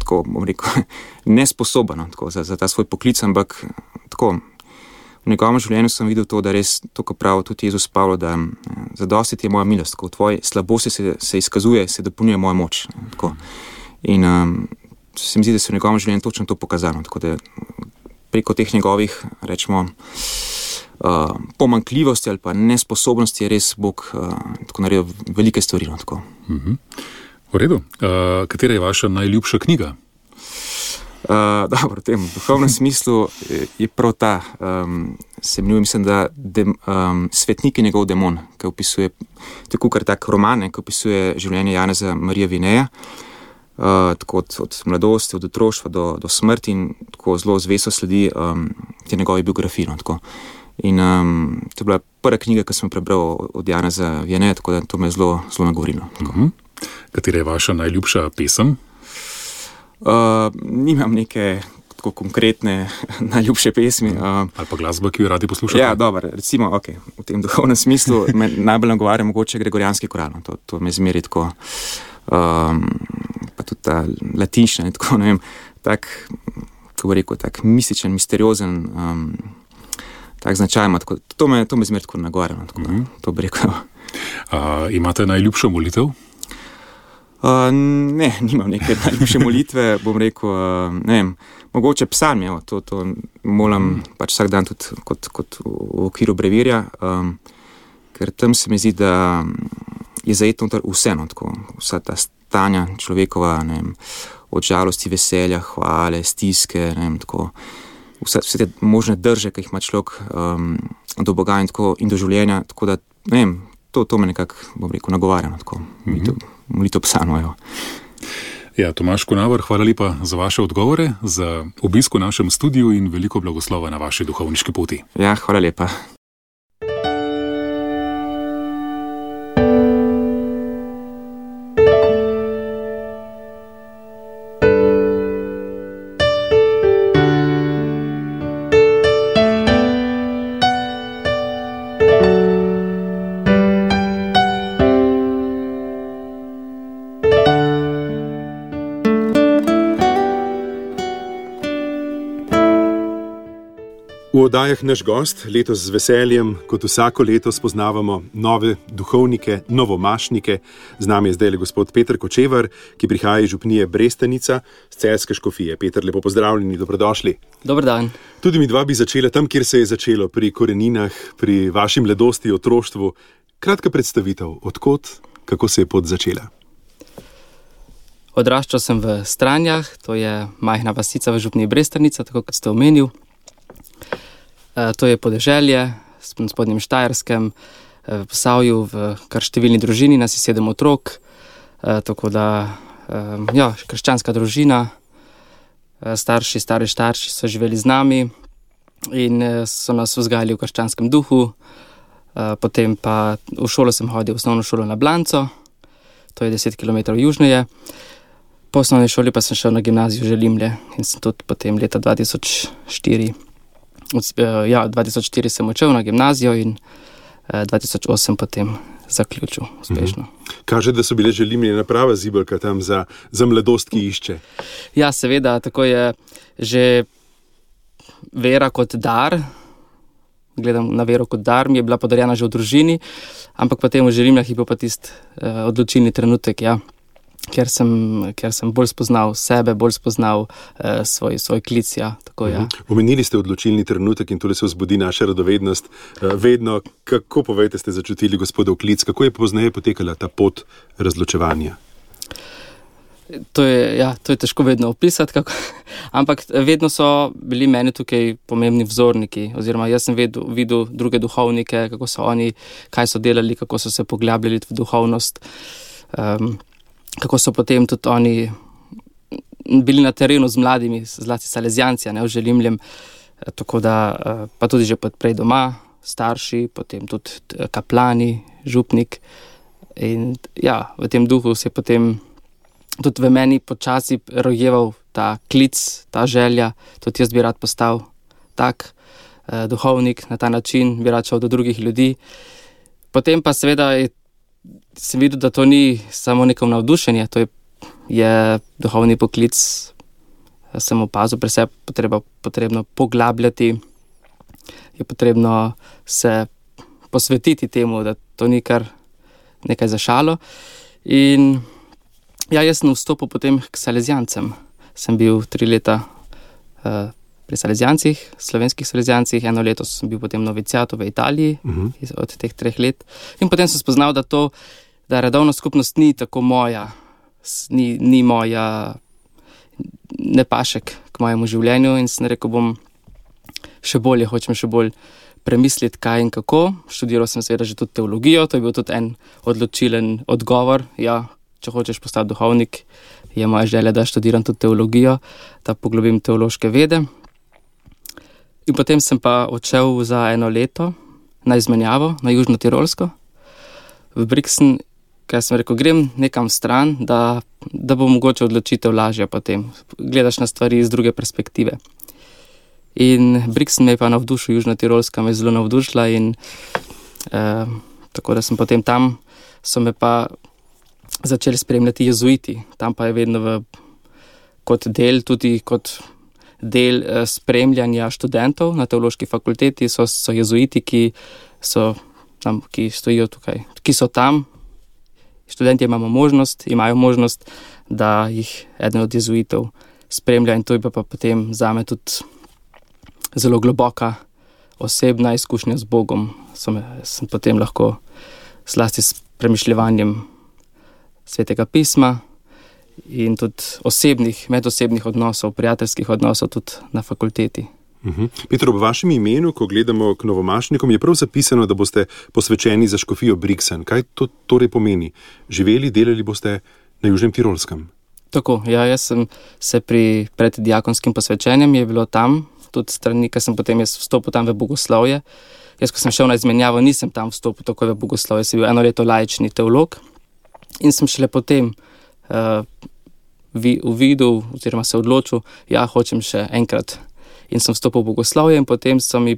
tako bom rekel, nesposoben za ta svoj poklic, ampak tako v njegovem življenju sem videl to, da res to, ko pravi tudi Jezus Pavlo, da zadosti ti je moja milost, ko v tvoji slabosti se izkazuje, se dopolnjuje moja moč. Tako. In se mi zdi, da se v njegovem življenju točno to pokazalo, tako da preko teh njegovih, rečemo, pomanjkljivosti ali pa nesposobnosti je res Bog tako naredil velike stvari. V redu. Katera je vaša najljubša knjiga? Dobro, v tem duhovnem smislu je prav ta, se imenuje, mislim, da Svetnik je njegov demon, ki opisuje tako kar tak roman, ki opisuje življenje Janeza Marija Vianneya, tako od mladosti, od otroštva do smrti in tako zelo zvesto sledi te njegove biografije. In to je bila prva knjiga, ki sem prebral od Janeza Vianneya, tako da to me je zelo nagovorilo. Katera je vaša najljubša pesem? Nimam neke tako konkretne najljubše pesmi. Ali pa glasba, ki jo radi poslušate? Ja, dobro, recimo, v tem duhovnem smislu me najbolj nagovarja mogoče gregorijanski koral. To me zmeri tako, pa tudi ta latinščina, tako ne vem, tak, kako bi rekel, tak mističen, misteriozen, tak značaj ima. To me zmeri tako nagovarja, to bi rekel. Imate najljubšo molitev? Ne, nimam neke najljubše molitve, bom rekel, ne vem, mogoče psalm, to molam pač vsak dan tudi kot v okviru brevirja, ker tam se mi zdi, da je zajetno vse, tako, vsa ta stanja človekova, ne vem, od žalosti, veselja, hvale, stiske, ne vem, tako, vse te možne drže, ki jih ima človek do Boga in do življenja, tako da, ne vem, to me nekako, bom rekel, nagovarja, tako, molitev psalmov. Ja, Tomaž Kunaver, hvala lepa za vaše odgovore, za obisk v našem studiu in veliko blagoslova na vaši duhovniški poti. Ja, hvala lepa. V oddajah Naš gost letos z veseljem, kot vsako leto, spoznavamo nove duhovnike, novomašnike. Z nami je zdaj gospod Peter Kočevar, ki prihaja iz župnije Brestanica z Celjske škofije. Peter, lepo pozdravljeni, dobrodošli. Dober dan. Tudi mi dva bi začela tam, kjer se je začelo, pri koreninah, pri vaši mladosti, otroštvu. Kratka predstavitev, odkot, kako se je pot začela? Odraščal sem v Stranjah, to je majhna vasica v župniji Brestanica, tako kot ste omenil. To je podeželje na spodnjem Štajerskem, v Posavju, v kar številni družini, nas je 7 otrok, tako da, krščanska družina, stari starši so živeli z nami in so nas vzgajali v krščanskem duhu. Potem pa v šolo sem hodil, v osnovno šolo na Blanco, to je 10 km južneje. Po osnovni šoli pa sem šel na gimnazijo Želimlje in sem tudi potem leta 2004 sem odšel na gimnazijo in 2008 potem zaključil uspešno. Kaže, da so bile Želimlje prava zibelka tam za mladost, ki išče. Ja, seveda, tako je že vera kot dar. Gledam na vero kot dar, mi je bila podarjena že v družini, ampak potem v Želimljah je bil pa tisti odločilni trenutek, ker sem bolj spoznal sebe, bolj spoznal svoj klic, tako je. Omenili ste odločilni trenutek in tole se vzbudi naša radovednost. Vedno, kako povejte, ste začutili gospodov klic, kako je pozneje potekala ta pot razločevanja? To je težko vedno opisati, ampak vedno so bili meni tukaj pomembni vzorniki, oziroma jaz sem videl druge duhovnike, kako so oni, kaj so delali, kako so se poglabljali v duhovnost, kako so potem tudi oni bili na terenu z mladimi, zlasti Salezijanci, v Želimljem, tako da pa tudi že prej doma, starši, potem tudi kaplani, župnik. In v tem duhu se je potem tudi v meni počasi rojeval ta klic, ta želja, tudi jaz bi rad postal tak duhovnik, na ta način bi rad šel do drugih ljudi. Potem pa seveda sem videl, da to ni samo neko navdušenje, to je duhovni poklic, sem opazil pri sebi, potrebno poglabljati, je potrebno se posvetiti temu, da to ni kar nekaj za šalo. In jaz sem vstopil potem k Salezijancem. Sem bil 3 leta pri Salezijancih, slovenskih Salezijancih, 1 leto sem bil potem noviciatu v Italiji od teh 3 let. In potem sem spoznal, da redovna skupnost ni tako moja, ni moja, ne pašek k mojemu življenju, in sem rekel, hočem še bolj premisliti, kaj in kako. Študiral sem seveda že tudi teologijo, to je bil tudi en odločilen odgovor. Če hočeš postati duhovnik, je moja želja, da študiram tudi teologijo, da poglobim teološke vede. In potem sem pa odšel za 1 leto na izmenjavo na Južno Tirolsko, v Brixen, ker sem rekel, grem nekam stran, da bo mogoče odločitev lažja potem. Gledaš na stvari iz druge perspektive. In Brixen me je pa navdušil, Južna Tirolska me je zelo navdušila, in tako da sem potem tam, so me pa začeli spremljati jezuiti. Tam pa je vedno kot del spremljanja študentov na teološki fakulteti so jezuiti, ki stojijo tukaj, ki so tam. Študenti imajo možnost, da jih eden od jezuitov spremlja, in to je pa potem zame tudi zelo globoka osebna izkušnja z Bogom. Sem potem lahko zlasti s premišljevanjem Svetega pisma in tudi medosebnih odnosov, prijateljskih odnosov tudi na fakulteti. Peter, ob vašem imenu, ko gledamo k novomašnikom, je prav zapisano, da boste posvečeni za škofijo Brixen. Kaj to torej pomeni? Živeli, delali boste na Južnem Tirolskem? Tako, jaz sem se pred diakonskim posvečenjem, je bilo tam tudi strani, ker sem potem vstopil tam v bogoslovje. Jaz, ko sem šel na izmenjavo, nisem tam vstopil takoj v bogoslovje, sem bil 1 leto laični teolog in sem šele potem uvidel oziroma se odločil, hočem še enkrat. In sem vstopil v bogoslovje, in potem so mi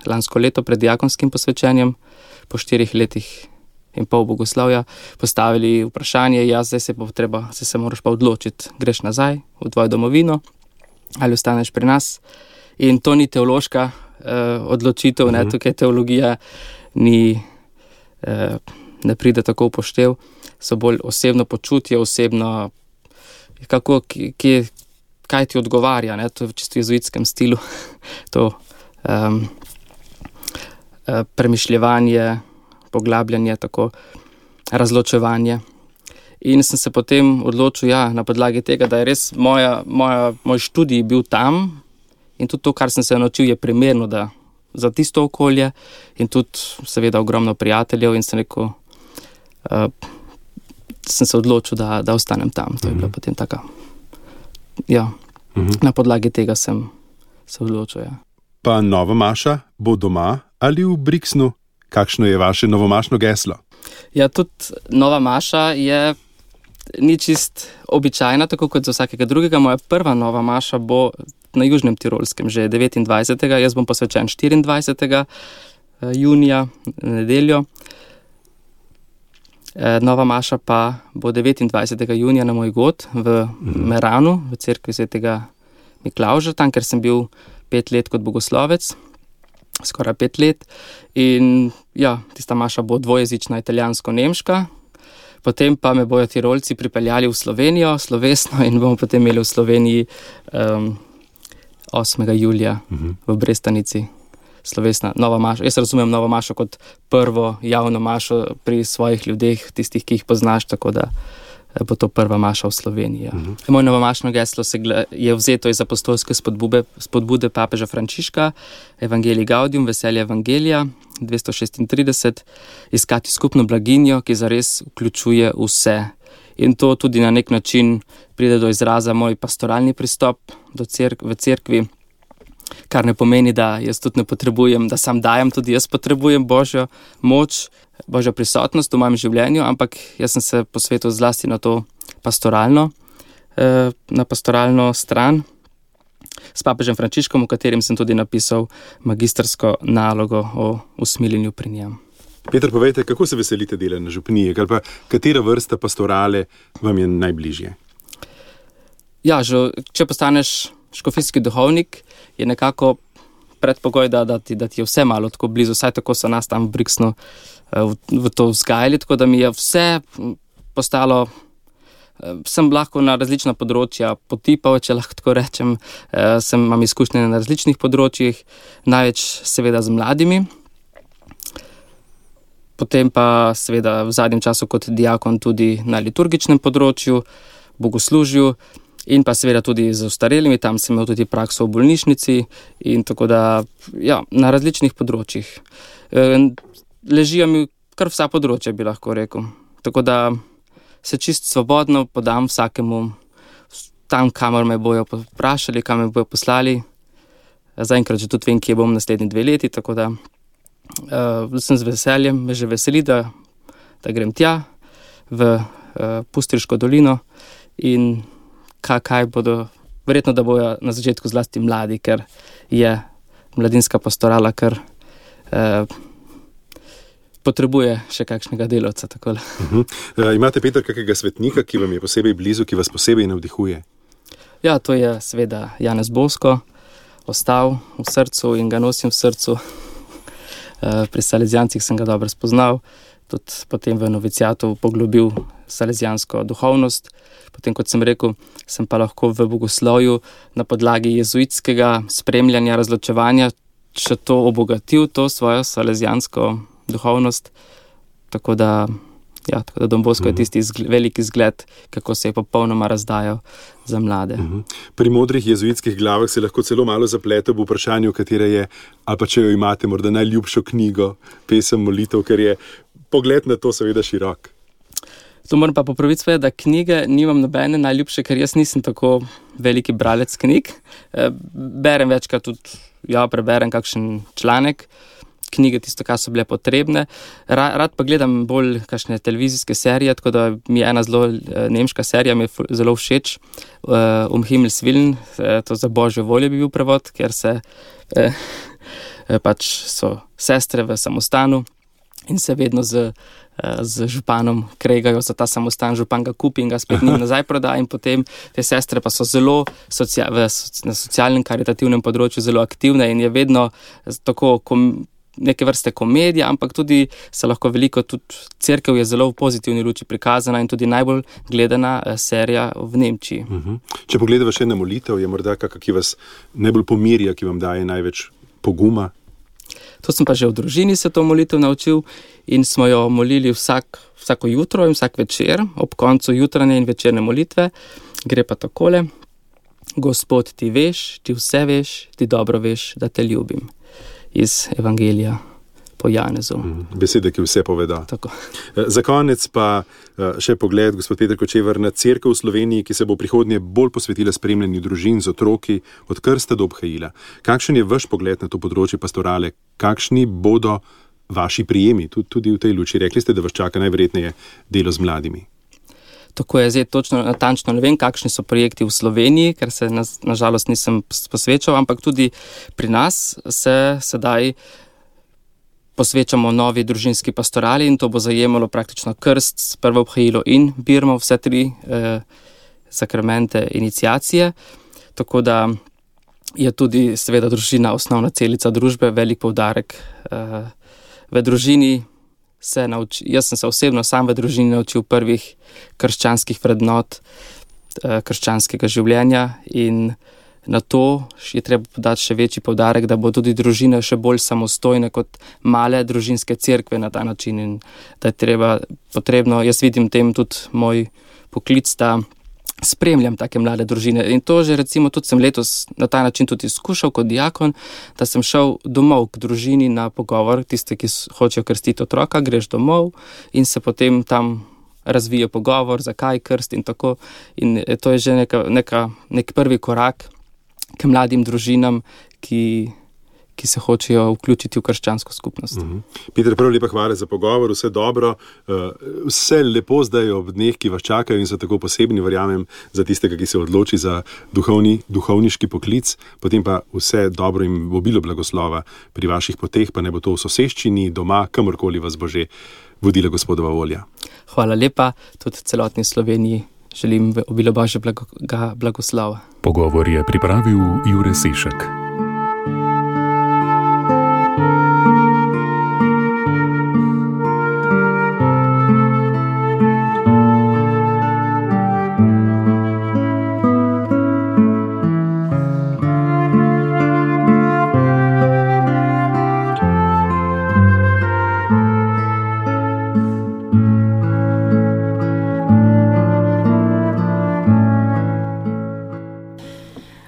lansko leto pred diakonskim posvečenjem, po 4 letih in pol bogoslovja, postavili vprašanje, zdaj se moraš pa odločiti, greš nazaj v tvojo domovino ali ostaneš pri nas. In to ni teološka odločitev, tukaj teologija ne pride tako v poštev, so bolj osebno počutje, osebno, kaj ti odgovarja, to je v čisto jezuitskem stilu, to premišljevanje, poglabljanje, tako razločevanje. In sem se potem odločil, na podlagi tega, da je res moj študij bil tam, in tudi to, kar sem se naučil, je primerno za tisto okolje, in tudi seveda ogromno prijateljev, in sem rekel, sem se odločil, da ostanem tam. To je bila potem taka, na podlagi tega sem se odločil. Pa nova maša bo doma ali v Brixenu? Kakšno je vaše novomašno geslo? Tudi nova maša ni čist običajna, tako kot za vsakega drugega. Moja prva nova maša bo na Južnem Tirolskem, že 29. Jaz bom posvečen 24. junija, nedeljo. Nova maša pa bo 29. junija na moj god v Meranu, v cerkvi Svetega Miklavža, tam, ker sem bil 5 let kot bogoslovec, skoraj 5 let. In tista maša bo dvojezična, italijansko-nemška. Potem pa me bojo Tirolci pripeljali v Slovenijo, slovesno, in bomo potem imeli v Sloveniji 8. julija v Brestanici slovesna nova maša. Jaz razumem novo mašo kot prvo javno mašo pri svojih ljudeh, tistih, ki jih poznaš, tako da bo to prva maša v Sloveniji. Moje novomašno geslo je vzeto iz apostolske spodbude papeža Frančiška, Evangelii Gaudium, veselje Evangelija, 236, iskati skupno blaginjo, ki zares vključuje vse. In to tudi na nek način pride do izraza moj pastoralni pristop v cerkvi, kar ne pomeni, da jaz tudi ne potrebujem, da sam dajem, tudi jaz potrebujem Božjo moč, Božjo prisotnost v mojem življenju, ampak jaz sem se posvetil zlasti na to pastoralno stran s papežem Frančiškom, v katerem sem tudi napisal magistrsko nalogo o usmiljenju pri njem. Peter, povejte, kako se veselite dela na župniji, ali pa katera vrsta pastorale vam je najbližje? Ja, če postaneš škofijski duhovnik, je nekako predpogoj, da ti je vse malo tako blizu, vsaj tako so nas tam v Brixnu v to vzgajali, tako da mi je vse postalo, sem lahko na različna področja potipal, če lahko tako rečem, imam izkušnje na različnih področjih, največ seveda z mladimi, potem pa seveda v zadnjem času kot diakon tudi na liturgičnem področju, bogoslužju, in pa seveda tudi z ostarelimi, tam sem imel tudi prakso v bolnišnici in tako da, ja, na različnih področjih. Ležijo mi kar vsa področja, bi lahko rekel. Tako da se čist svobodno podam vsakemu tam, kamor me bojo vprašali, kam me bojo poslali. Zaenkrat že tudi vem, kje bom naslednji 2 leti, tako da sem z veseljem, me že veseli, da grem tja v Pustriško dolino in kaj bodo, verjetno, da bojo na začetku zlasti mladi, ker je mladinska pastorala, ker potrebuje še kakšnega delavca. Imate, Peter, kakega svetnika, ki vam je posebej blizu, ki vas posebej navdihuje? Ja, to je seveda Janez Bosko, ostal v srcu in ga nosim v srcu. Pri Salezijancih sem ga dobro spoznal, tudi potem v novicijatu poglobil salezijansko duhovnost. Potem, kot sem rekel, sem pa lahko v bogoslovju na podlagi jezuitskega spremljanja, razločevanja še to obogatil, to svojo salezijansko duhovnost. Tako da Don Bosko je tisti veliki zgled, kako se je popolnoma razdajal za mlade. Pri modrih jezuitskih glavah se lahko celo malo zaplete v vprašanju, katera je, ali pa če jo imate morda najljubšo knjigo, pesem, molitev, ker je pogled na to seveda širok. To moram pa popraviti svoje, da knjige nimam nobene najljubše, ker jaz nisem tako veliki bralec knjig. Berem večkrat tudi, preberem kakšen članek, knjige tisto, kar so bile potrebne. Rad pa gledam bolj kakšne televizijske serije, tako da mi je ena zelo nemška serija, mi je zelo všeč, Himmels Willen, to za Božjo voljo bi bil prevod, ker se pač so sestre v samostanu in se vedno z županom kregajo za ta samostan, župan ga kupi in ga spet njim nazaj proda in potem te sestre pa so zelo na socialnem, karitativnem področju zelo aktivne in je vedno tako neke vrste komedija, ampak tudi se lahko veliko, tudi cerkev je zelo v pozitivni luči prikazana in tudi najbolj gledana serija v Nemčiji. Če pogledava še na molitev, je morda kakšna, ki vas najbolj pomirja, ki vam daje največ poguma? To sem pa že v družini se to molitev naučil in smo jo molili vsako jutro in vsak večer, ob koncu jutranje in večerne molitve. Gre pa takole: Gospod, ti veš, ti vse veš, ti dobro veš, da te ljubim. Iz Evangelija po Janezu. Besede, ki vse poveda. Tako. Za konec pa še pogled, gospod Peter Kočevar, na cerkev v Sloveniji, ki se bo prihodnje bolj posvetila spremljanju družin z otroki od krsta do obhajila. Kakšen je vaš pogled na to področje pastorale? Kakšni bodo vaši prijemi tudi v tej luči? Rekli ste, da vas čaka najverjetneje delo z mladimi. Tako je, zdaj točno natančno ne vem, kakšni so projekti v Sloveniji, ker se nažalost nisem posvečal, ampak tudi pri nas se sedaj posvečamo novi družinski pastorali in to bo zajemalo praktično krst, prvo obhajilo in birmo, vse 3 sakramente iniciacije. Tako da je tudi seveda družina osnovna celica družbe, velik poudarek v družini. Jaz sem se osebno sam v družini naučil prvih krščanskih vrednot, krščanskega življenja in na to je treba podati še večji poudarek, da bo tudi družine še bolj samostojne kot male družinske cerkve na ta način in da je potrebno, jaz vidim tem tudi moj poklic, da spremljam take mlade družine. In to že recimo tudi sem letos na ta način tudi izkušal kot diakon, da sem šel domov k družini na pogovor, tiste, ki hočejo krstiti otroka, greš domov in se potem tam razvije pogovor, zakaj krst in tako. In to je že nek prvi korak k mladim družinam, ki se hočejo vključiti v krščansko skupnost. Peter, prav lepa hvala za pogovor, vse dobro, vse lepo zdaj ob dneh, ki vas čakajo in so tako posebni, verjamem, za tistega, ki se odloči za duhovniški poklic, potem pa vse dobro in obilo blagoslova pri vaših poteh, pa ne bo to v soseščini, doma, kamorkoli vas bo že vodila Gospodova volja. Hvala lepa, tudi celotni Sloveniji želim obilo Božjega blagoslova. Pogovor je pripravil Jure Sešek.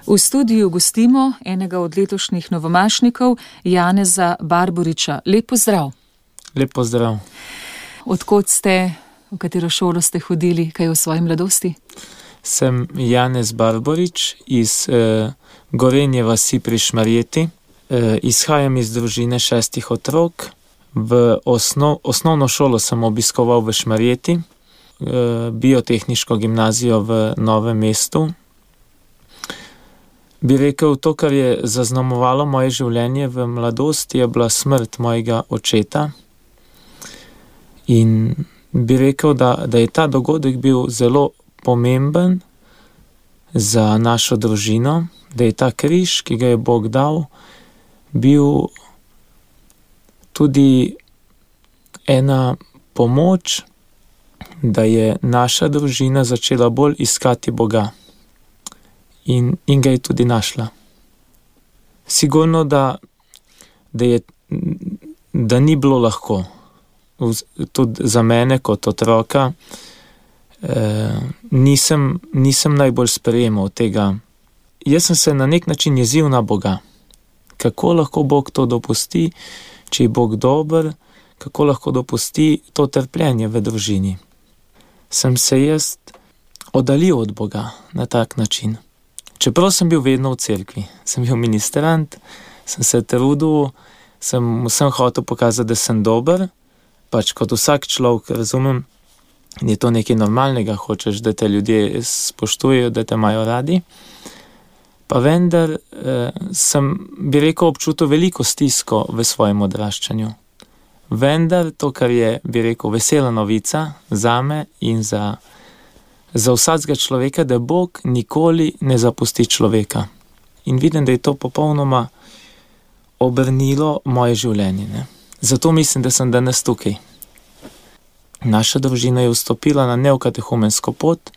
V studiu gostimo enega od letošnjih novomašnikov, Janeza Barboriča. Lep pozdrav. Lep pozdrav. Odkot ste, v katero šolo ste hodili, kaj v svoji mladosti? Sem Janez Barborič iz Gorenje vasi pri Šmarjeti. Izhajam iz družine 6 otrok. V osnovno šolo sem obiskoval v Šmarjeti, biotehniško gimnazijo v Novem mestu. Bi rekel, to, kar je zaznamovalo moje življenje v mladosti, je bila smrt mojega očeta. In bi rekel, da je ta dogodek bil zelo pomemben za našo družino, da je ta križ, ki ga je Bog dal, bil tudi ena pomoč, da je naša družina začela bolj iskati Boga. In ga je tudi našla. Sigurno, da ni bilo lahko. Tudi za mene kot otroka nisem najbolj sprejemal tega. Jaz sem se na nek način jezil na Boga. Kako lahko Bog to dopusti, če je Bog dober, kako lahko dopusti to trpljenje v družini. Sem se jaz oddaljil od Boga na tak način. Čeprav sem bil vedno v cerkvi, sem bil ministrant, sem se trudil, sem vsem hotel pokazati, da sem dober, pač kot vsak človek, razumem, je to nekaj normalnega, hočeš, da te ljudje spoštujejo, da te imajo radi. Pa vendar sem, bi rekel, občutil veliko stisko v svojem odraščanju. Vendar to, kar je, bi rekel, vesela novica zame in za vsakega človeka, da Bog nikoli ne zapusti človeka. In vidim, da je to popolnoma obrnilo moje življenje. Ne? Zato mislim, da sem danes tukaj. Naša družina je vstopila na neokatehumensko pot,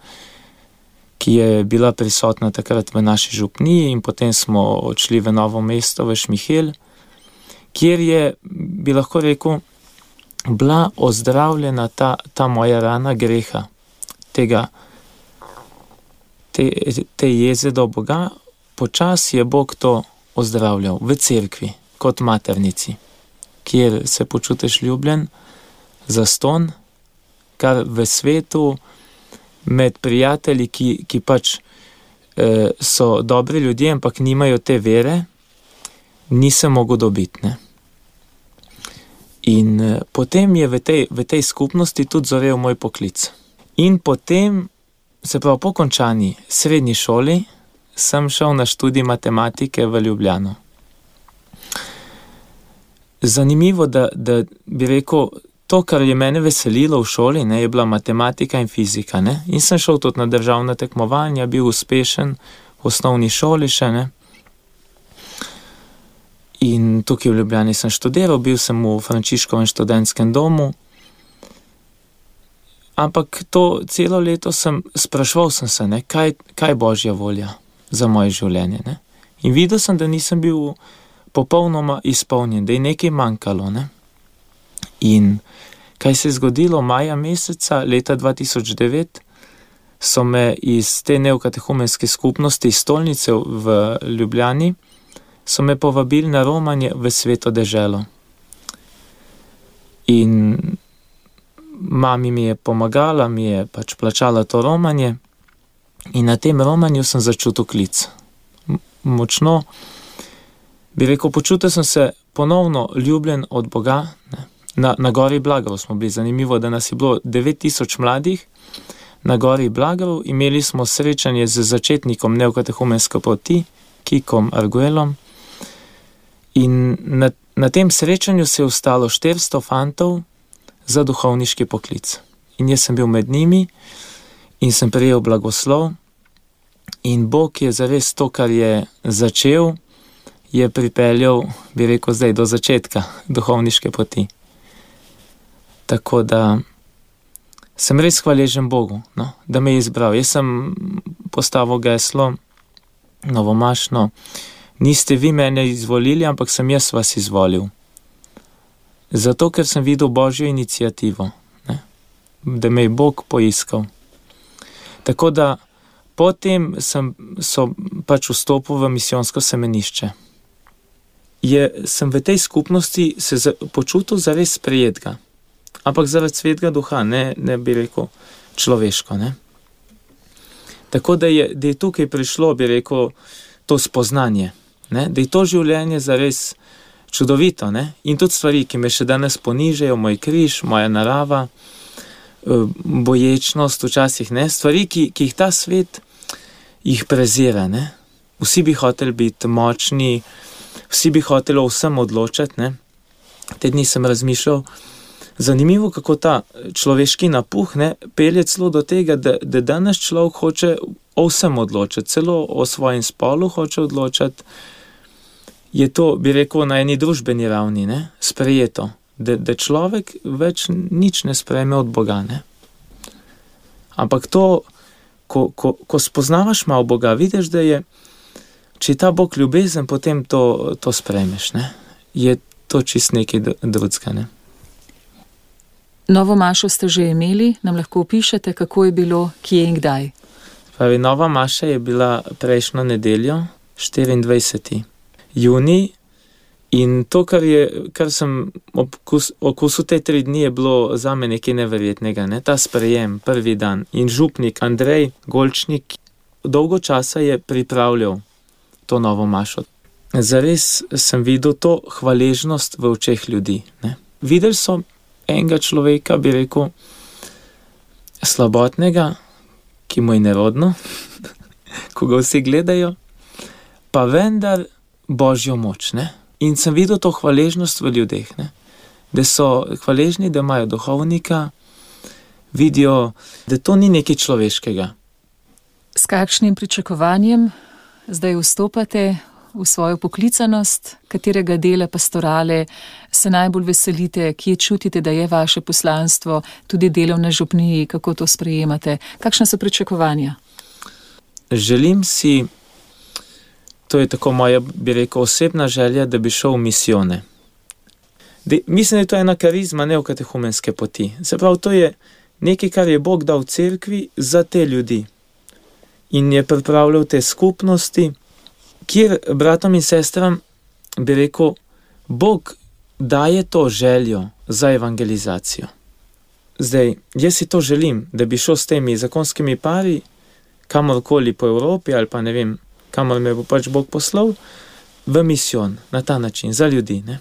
ki je bila prisotna takrat v naši župniji in potem smo odšli v Novo mesto, v Šmihel, kjer je, bi lahko rekel, bila ozdravljena ta moja rana greha, te jeze do Boga. Počasi je Bog to ozdravljal v cerkvi, kot maternici, kjer se počutiš ljubljen, zaston, kar v svetu med prijatelji, ki pač so dobri ljudje, ampak nimajo te vere, nisem mogel dobiti. Ne? In potem je v tej skupnosti tudi zorel moj poklic. In potem, se pravi, po končani srednji šoli, sem šel na študij matematike v Ljubljano. Zanimivo, da bi rekel, to, kar je mene veselilo v šoli, ne, je bila matematika in fizika. Ne? In sem šel tudi na državna tekmovanja, bil uspešen v osnovni šoli še. Ne? In tukaj v Ljubljani sem študiral, bil sem v Frančiškovem študentskem domu. Ampak to celo leto spraševal sem se, ne, kaj Božja volja za moje življenje. Ne? In videl sem, da nisem bil popolnoma izpolnjen, da je nekaj manjkalo. Ne? In kaj se je zgodilo maja meseca leta 2009, so me iz te neokatehumenske skupnosti iz Stolnice v Ljubljani, so me povabili na romanje v Sveto deželo. In mami mi je pomagala, mi je pač plačala to romanje in na tem romanju sem začutil klic. Močno, bi rekel, počutil sem se ponovno ljubljen od Boga. Na gori Blagarov smo bili, zanimivo, da nas je bilo 9000 mladih na gori Blagarov, imeli smo srečanje z začetnikom neokatehumenske poti, Kikom Arguelom, in na tem srečanju se je ostalo 400 fantov za duhovniški poklic. In jaz sem bil med njimi in sem prejel blagoslov in Bog je zares to, kar je začel, je pripeljal, bi rekel, zdaj do začetka duhovniške poti. Tako da sem res hvaležen Bogu, no, da me je izbral. Jaz sem postavil geslo novomašno, niste vi mene izvolili, ampak sem jaz vas izvolil. Zato, ker sem videl Božjo inicijativo, ne, da me je Bog poiskal. Tako da potem so pač vstopil v misijonsko semenišče. Sem v tej skupnosti se počutil zares sprejetega, ampak zaradi Svetega Duha, ne bi rekel človeško. Ne. Tako da je tukaj prišlo, bi rekel, to spoznanje, ne, da je to življenje zares čudovito, ne, in tudi stvari, ki me še danes ponižajo, moj križ, moja narava, boječnost včasih, ne, stvari, ki jih ta svet jih prezira, ne. Vsi bi hoteli biti močni, vsi bi hoteli o vsem odločati, ne. Te dni sem razmišljal, zanimivo, kako ta človeški napuh, ne, pelje celo do tega, da danes človek hoče o vsem odločati, celo o svojem spolu hoče odločati. Je to, bi rekel, na eni družbeni ravni, ne, sprejeto, da človek več nič ne sprejme od Boga, ne. Ampak to, ko spoznavaš malo Boga, vidiš, da je, če je ta Bog ljubezen, potem to sprejmeš, ne. Je to čist nekaj drugega, ne. Novo mašo ste že imeli, nam lahko opišete, kako je bilo, kje in kdaj? Pravi, nova maša je bila prejšnjo nedeljo, 24. junij, in to, kar sem okusil te 3 dni, je bilo zame nekaj neverjetnega, ne? Ta sprejem, prvi dan. In župnik Andrej Golčnik dolgo časa je pripravljal to novo mašo. Zares sem videl to hvaležnost v očeh ljudi, ne? Videli so enega človeka, bi rekel, slabotnega, ki mu je nerodno, ko ga vsi gledajo, pa vendar Božjo moč, ne? In sem videl to hvaležnost v ljudeh, ne? Da so hvaležni, da imajo duhovnika, vidijo, da to ni nekaj človeškega. S kakšnim pričakovanjem zdaj vstopate v svojo poklicanost, katerega dela pastorale se najbolj veselite, kje čutite, da je vaše poslanstvo, tudi delo na župniji, kako to sprejemate? Kakšna so pričakovanja? Želim si, to je tako moja, bi rekel, osebna želja, da bi šel v misijone. Mislim, da je to ena karizma neokatehumenske poti. Se pravi, to je nekaj, kar je Bog dal v cerkvi za te ljudi. In je pripravljal te skupnosti, kjer bratom in sestram, bi rekel, Bog daje to željo za evangelizacijo. Zdaj, jaz si to želim, da bi šel s temi zakonskimi pari kamorkoli po Evropi ali pa ne vem, kamor me bo pač Bog poslal, v misijon, na ta način, za ljudi, ne.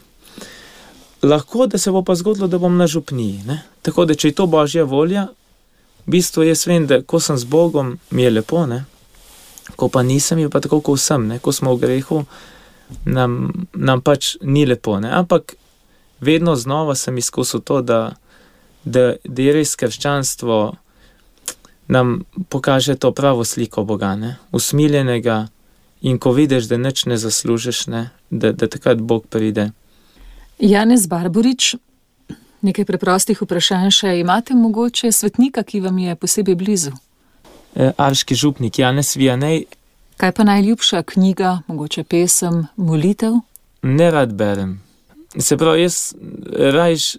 Lahko, da se bo pa zgodilo, da bom na župniji, ne. Tako da, če je to Božja volja, v bistvu jaz vem, da ko sem z Bogom, mi je lepo, ne. Ko pa nisem, je pa tako, ko vsem, ne. Ko smo v grehu, nam pač ni lepo, ne. Ampak vedno znova sem izkusil to, da je res krščanstvo nam pokaže to pravo sliko Boga, ne. Usmiljenega, in ko vidiš, da nič ne zaslužiš, ne, da takrat Bog pride. Janez Barborič, nekaj preprostih vprašanj še. Imate mogoče svetnika, ki vam je posebej blizu? Arški župnik Janez Vijanej. Kaj pa najljubša knjiga, mogoče pesem, molitev? Ne rad berem. Se pravi, jaz rajš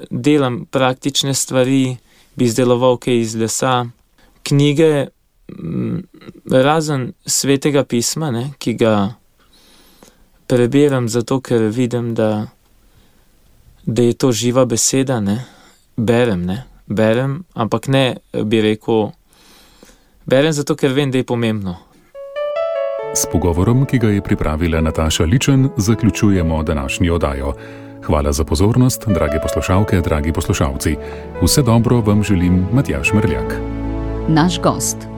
delam praktične stvari, bi izdeloval kaj iz lesa, knjige, razen Svetega pisma, ne, ki ga prebiram zato, ker vidim, da je to živa beseda, ne, berem, ampak ne bi rekel, berem zato, ker vem, da je pomembno. S pogovorom, ki ga je pripravila Nataša Ličen, zaključujemo današnjo oddajo. Hvala za pozornost, drage poslušalke, dragi poslušalci. Vse dobro vam želim Matjaž Merljak. Naš gost.